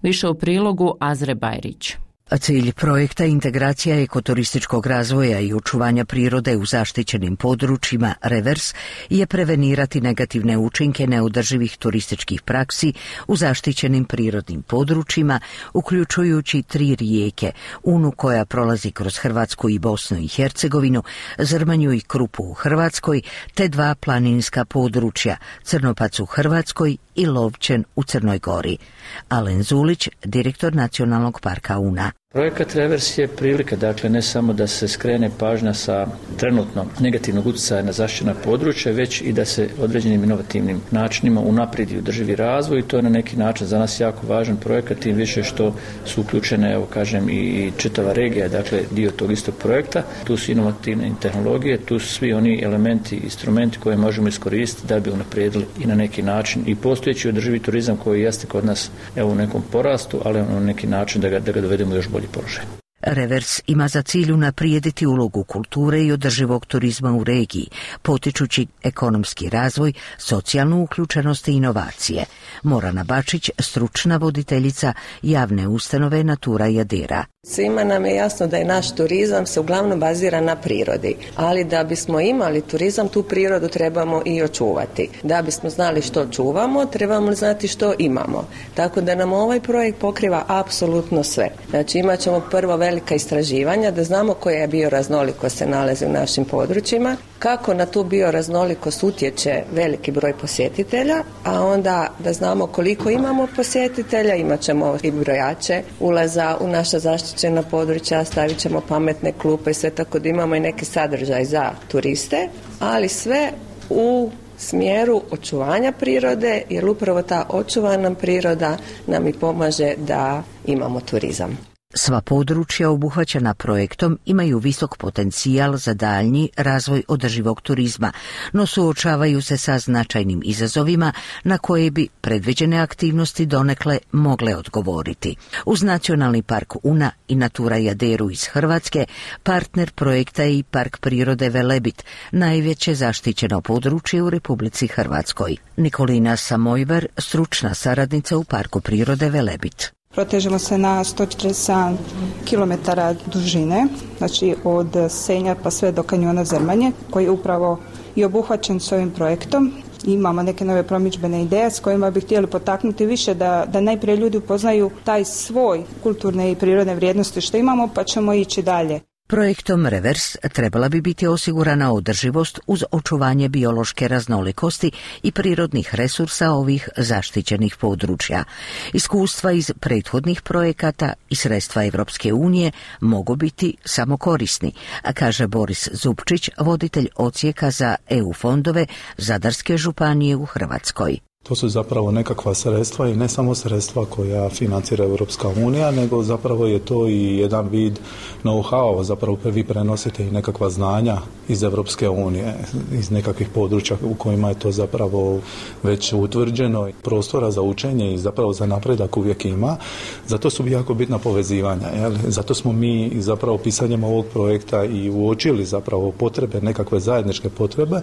Speaker 1: Više u prilogu Azre Bajrić.
Speaker 15: A cilj projekta integracija ekoturističkog razvoja i očuvanja prirode u zaštićenim područjima Revers je prevenirati negativne učinke neodrživih turističkih praksi u zaštićenim prirodnim područjima, uključujući tri rijeke, Unu koja prolazi kroz Hrvatsku i Bosnu i Hercegovinu, Zrmanju i Krupu u Hrvatskoj, te dva planinska područja, Crnopac u Hrvatskoj i Lovćen u Crnoj Gori. Alen Zulić, direktor Nacionalnog parka Una.
Speaker 6: Projekat Revers je prilika, dakle, ne samo da se skrene pažnja sa trenutno negativnog utjecaja na zaštićena područja, već i da se određenim inovativnim načinima unaprijedi održivi razvoj i to je na neki način za nas jako važan projekat, tim više što su uključene, evo kažem, i čitava regija, dakle, dio tog istog projekta. Tu su inovativne tehnologije, tu su svi oni elementi, instrumenti koje možemo iskoristiti da bi unaprijedili i na neki način i postojeći održivi turizam koji jeste kod nas, evo, u nekom porastu, ali na neki način da ga, da ga dovedemo još bolje položaj.
Speaker 15: Revers ima za cilj unaprijediti ulogu kulture i održivog turizma u regiji, potičući ekonomski razvoj, socijalnu uključenost i inovacije. Morana Bačić, stručna voditeljica javne ustanove Natura Jadera.
Speaker 16: Svima nam je jasno da je naš turizam se uglavnom bazira na prirodi, ali da bismo imali turizam, tu prirodu trebamo i očuvati. Da bismo znali što čuvamo, trebamo znati što imamo. Tako da nam ovaj projekt pokriva apsolutno sve. Znači imat ćemo prvo velika istraživanja, da znamo koja bioraznolikost se nalazi u našim područjima, kako na tu bioraznolikost utječe veliki broj posjetitelja, a onda da znamo koliko imamo posjetitelja, imat ćemo i brojače ulaza u naša zaštićena područja, stavit ćemo pametne klupe i sve, tako da imamo i neki sadržaj za turiste, ali sve u smjeru očuvanja prirode, jer upravo ta očuvana priroda nam i pomaže da imamo turizam.
Speaker 15: Sva područja obuhvaćena projektom imaju visok potencijal za daljnji razvoj održivog turizma, no suočavaju se sa značajnim izazovima na koje bi predviđene aktivnosti donekle mogle odgovoriti. Uz Nacionalni park Una i Natura Jaderu iz Hrvatske, partner projekta je i Park prirode Velebit, najveće zaštićeno područje u Republici Hrvatskoj. Nikolina Samojver, stručna saradnica u Parku prirode Velebit.
Speaker 17: Protežemo se na sto četrdeset sedam kilometara dužine, znači od Senja pa sve do kanjona Zrmanje, koji je upravo i obuhvaćen s ovim projektom. Imamo neke nove promidžbene ideje s kojima bi htjeli potaknuti više da, da najprije ljudi upoznaju taj svoj kulturne i prirodne vrijednosti što imamo, pa ćemo ići dalje.
Speaker 15: Projektom Revers trebala bi biti osigurana održivost uz očuvanje biološke raznolikosti i prirodnih resursa ovih zaštićenih područja. Iskustva iz prethodnih projekata i sredstva Evropske unije mogu biti samo korisni, a kaže Boris Zupčić, voditelj odsjeka za E U fondove Zadarske županije u Hrvatskoj.
Speaker 18: To su zapravo nekakva sredstva i ne samo sredstva koja financira Europska unija, nego zapravo je to i jedan vid know-how, zapravo vi prenosite i nekakva znanja iz Europske unije, iz nekakvih područja u kojima je to zapravo već utvrđeno. Prostora za učenje i zapravo za napredak uvijek ima, zato su jako bitna povezivanja. Jel? Zato smo mi zapravo pisanjem ovog projekta i uočili zapravo potrebe, nekakve zajedničke potrebe,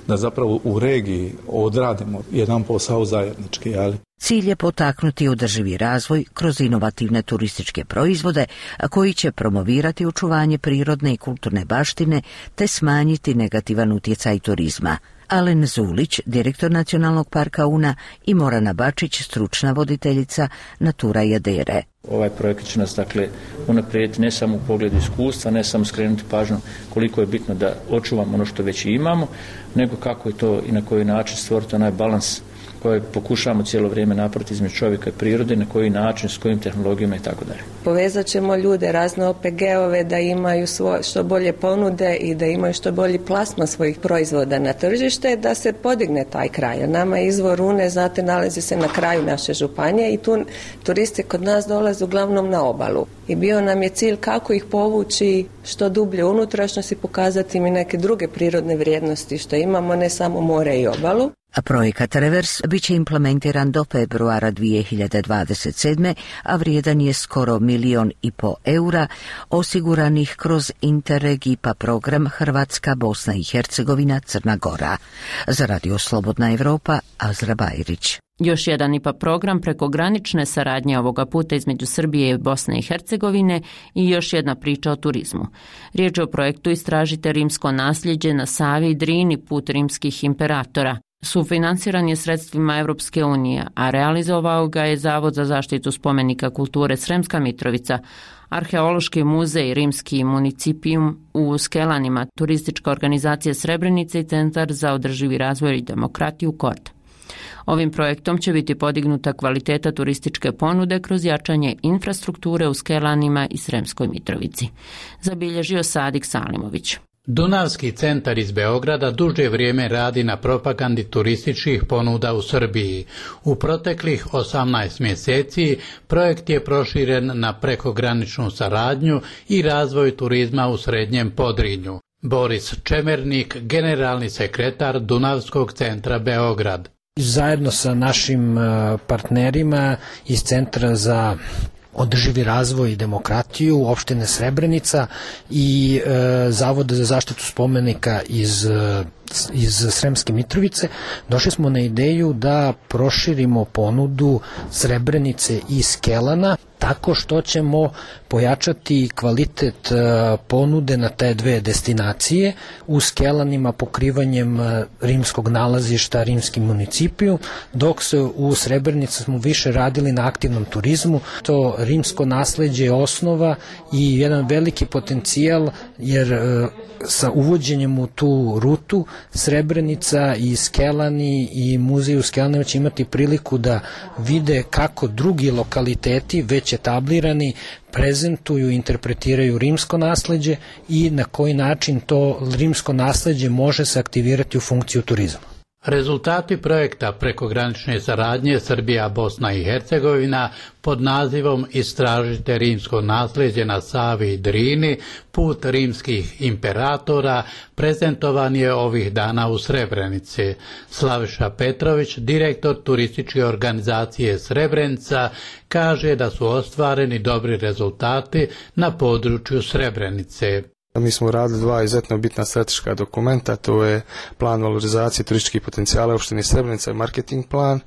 Speaker 18: da zapravo u regiji odradimo jedan posao zajednički, ali.
Speaker 15: Cilj je potaknuti održivi razvoj kroz inovativne turističke proizvode, a koji će promovirati očuvanje prirodne i kulturne baštine te smanjiti negativan utjecaj turizma. Alen Zulić, direktor Nacionalnog parka Una, i Morana Bačić, stručna voditeljica Natura Jadere.
Speaker 6: Ovaj projekt će nas, dakle, unaprijediti ne samo u pogledu iskustva, ne samo skrenuti pažnju koliko je bitno da očuvamo ono što već imamo, nego kako je to i na koji način stvoriti onaj balans koje pokušavamo cijelo vrijeme napraviti između čovjeka i prirode, na koji način, s kojim tehnologijama i tako dalje.
Speaker 16: Povezat ćemo ljude, razne O P G-ove da imaju svoje, što bolje ponude i da imaju što bolji plasman svojih proizvoda na tržište, da se podigne taj kraj. Nama izvor Une, znate, nalazi se na kraju naše županije i tu turisti kod nas dolaze uglavnom na obalu. I bio nam je cilj kako ih povući što dublje unutrašnjost i pokazati im i neke druge prirodne vrijednosti što imamo, ne samo more i obalu.
Speaker 15: A projekat Revers bit će implementiran do februara dvije hiljade dvadeset sedme. a vrijedan je skoro milion i po eura osiguranih kroz Interreg I P A program Hrvatska, Bosna i Hercegovina, Crna Gora. Za Radio Slobodna Evropa, Azra Bajrić.
Speaker 1: Još jedan I P A program prekogranične saradnje ovoga puta između Srbije i Bosne i Hercegovine i još jedna priča o turizmu. Riječ je o projektu Istražite rimsko nasljeđe na Savi i Drini put rimskih imperatora. Sufinanciran je sredstvima Evropske unije, a realizovao ga je Zavod za zaštitu spomenika kulture Sremska Mitrovica, Arheološki muzej Rimski municipijum u Skelanima, turistička organizacija Srebrenica i Centar za održivi razvoj i demokratiju Kord. Ovim projektom će biti podignuta kvaliteta turističke ponude kroz jačanje infrastrukture u Skelanima i Sremskoj Mitrovici, zabilježio Sadik Salimović.
Speaker 19: Dunavski centar iz Beograda duže vrijeme radi na propagandi turističkih ponuda u Srbiji. U proteklih osamnaest mjeseci projekt je proširen na prekograničnu saradnju i razvoj turizma u Srednjem Podrinju. Boris Čemernik, generalni sekretar Dunavskog centra Beograd.
Speaker 20: Zajedno sa našim partnerima iz Centra za održivi razvoj i demokratiju opštine Srebrenica i e, Zavoda za zaštitu spomenika iz, iz Sremske Mitrovice, došli smo na ideju da proširimo ponudu Srebrenice i Skelana tako što ćemo pojačati kvalitet ponude na te dve destinacije, u Skelanima pokrivanjem rimskog nalazišta Rimski municipiju, dok se u Srebrenici smo više radili na aktivnom turizmu. To rimsko nasleđe je osnova i jedan veliki potencijal, jer sa uvođenjem u tu rutu Srebrenica i Skelani i muzej u Skelanima će imati priliku da vide kako drugi lokaliteti već etablirani prezentuju i interpretiraju rimsko nasleđe i na koji način to rimsko nasleđe može se aktivirati u funkciju turizma.
Speaker 19: Rezultati projekta prekogranične saradnje Srbija, Bosna i Hercegovina pod nazivom Istražite rimsko nasljeđe na Savi i Drini put rimskih imperatora prezentovan je ovih dana u Srebrenici. Slaviša Petrović, direktor turističke organizacije Srebrenica, kaže da su ostvareni dobri rezultati na području Srebrenice.
Speaker 21: Mi smo radili dva izuzetno bitna strateška dokumenta, to je plan valorizacije turističkih potencijala opštine Srebrenica i marketing plan,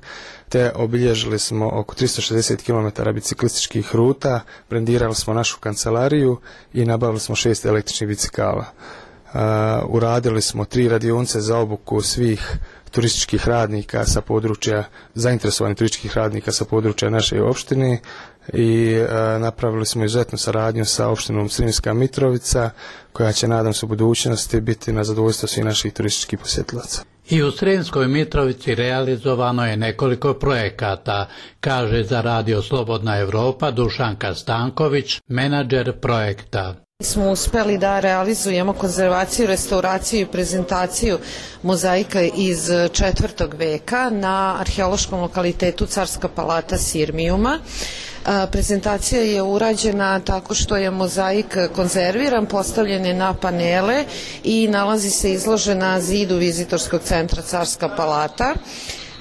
Speaker 21: te obilježili smo oko tristo šezdeset kilometara biciklističkih ruta, brendirali smo našu kancelariju i nabavili smo šest električnih bicikala. Uh, uradili smo tri radionice za obuku svih turističkih radnika sa područja, zainteresovanih turističkih radnika sa područja naše opštine i e, napravili smo izuzetnu saradnju sa opštinom Sremska Mitrovica, koja će, nadam se, u budućnosti biti na zadovoljstvo svih naših turističkih posjetilaca.
Speaker 19: I u Sremskoj Mitrovici realizovano je nekoliko projekata, kaže za Radio Slobodna Evropa Dušanka Stanković, menadžer projekta.
Speaker 22: Smo uspeli da realizujemo konzervaciju, restauraciju i prezentaciju mozaika iz četvrtog veka na arheološkom lokalitetu Carska palata Sirmijuma. Prezentacija je urađena tako što je mozaik konzerviran, postavljen je na panele i nalazi se izložen na zidu vizitorskog centra Carska palata.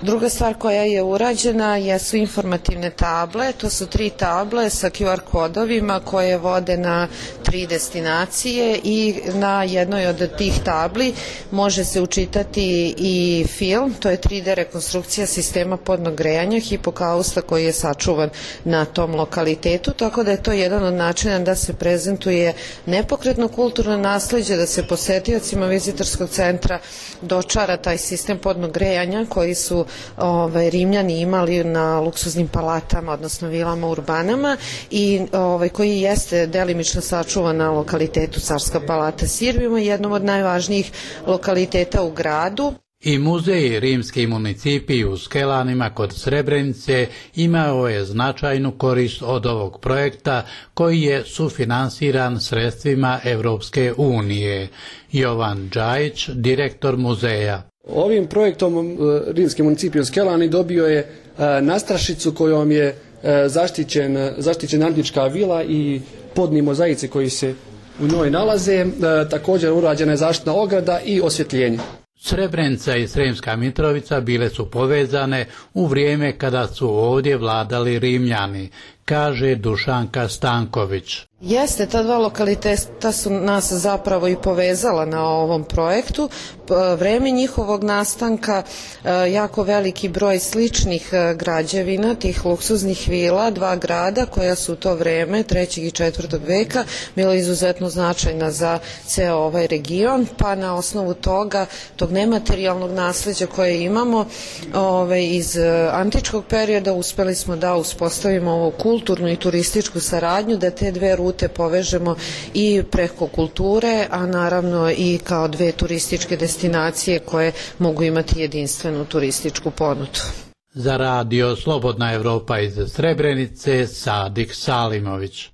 Speaker 22: Druga stvar koja je urađena jesu informativne table, to su tri table sa Q R kodovima koje vode na tri destinacije i na jednoj od tih tabli može se učitati i film, to je tri D rekonstrukcija sistema podnog grejanja hipokausta koji je sačuvan na tom lokalitetu, tako da je to jedan od načina da se prezentuje nepokretno kulturno nasleđe, da se posetiocima vizitorskog centra dočara taj sistem podnog grejanja koji su Ovaj, Rimljani imali na luksuznim palatama, odnosno vilama urbanama i ovaj, koji jeste delimično sačuvan na lokalitetu Carska palata Sirmijuma, jednom od najvažnijih lokaliteta u gradu.
Speaker 19: I muzej Rimski municipij u Skelanima kod Srebrenice imao je značajnu korist od ovog projekta koji je sufinansiran sredstvima Evropske unije. Jovan Džajić, direktor muzeja.
Speaker 23: Ovim projektom Rimski municipij u Skelani dobio je nastrašicu kojom je zaštićen, zaštićena antička vila i podni mozaici koji se u njoj nalaze. Također urađena je zaštitna ograda i osvjetljenje.
Speaker 19: Srebrenica i Sremska Mitrovica bile su povezane u vrijeme kada su ovdje vladali Rimljani, kaže Dušanka Stanković.
Speaker 22: Jeste, ta dva lokaliteta su nas zapravo i povezala na ovom projektu. Vreme njihovog nastanka, jako veliki broj sličnih građevina, tih luksuznih vila, dva grada koja su u to vreme, trećeg i četvrtog veka, bila izuzetno značajna za ceo ovaj region, pa na osnovu toga, tog nematerijalnog nasleđa koje imamo ove, iz antičkog perioda, uspeli smo da uspostavimo ovu kulturnu i turističku saradnju, da te dve rute povežemo i preko kulture, a naravno i kao dve turističke destinacije koje mogu imati jedinstvenu turističku ponudu.
Speaker 19: Za radio Slobodna Evropa iz Srebrenice, Sadik Salimović.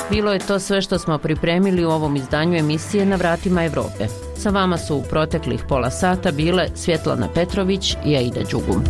Speaker 1: Bilo je to sve što smo pripremili u ovom izdanju emisije Na vratima Evrope. Sa vama su u proteklih pola sata bile Svjetlana Petrović i Aida Đugum.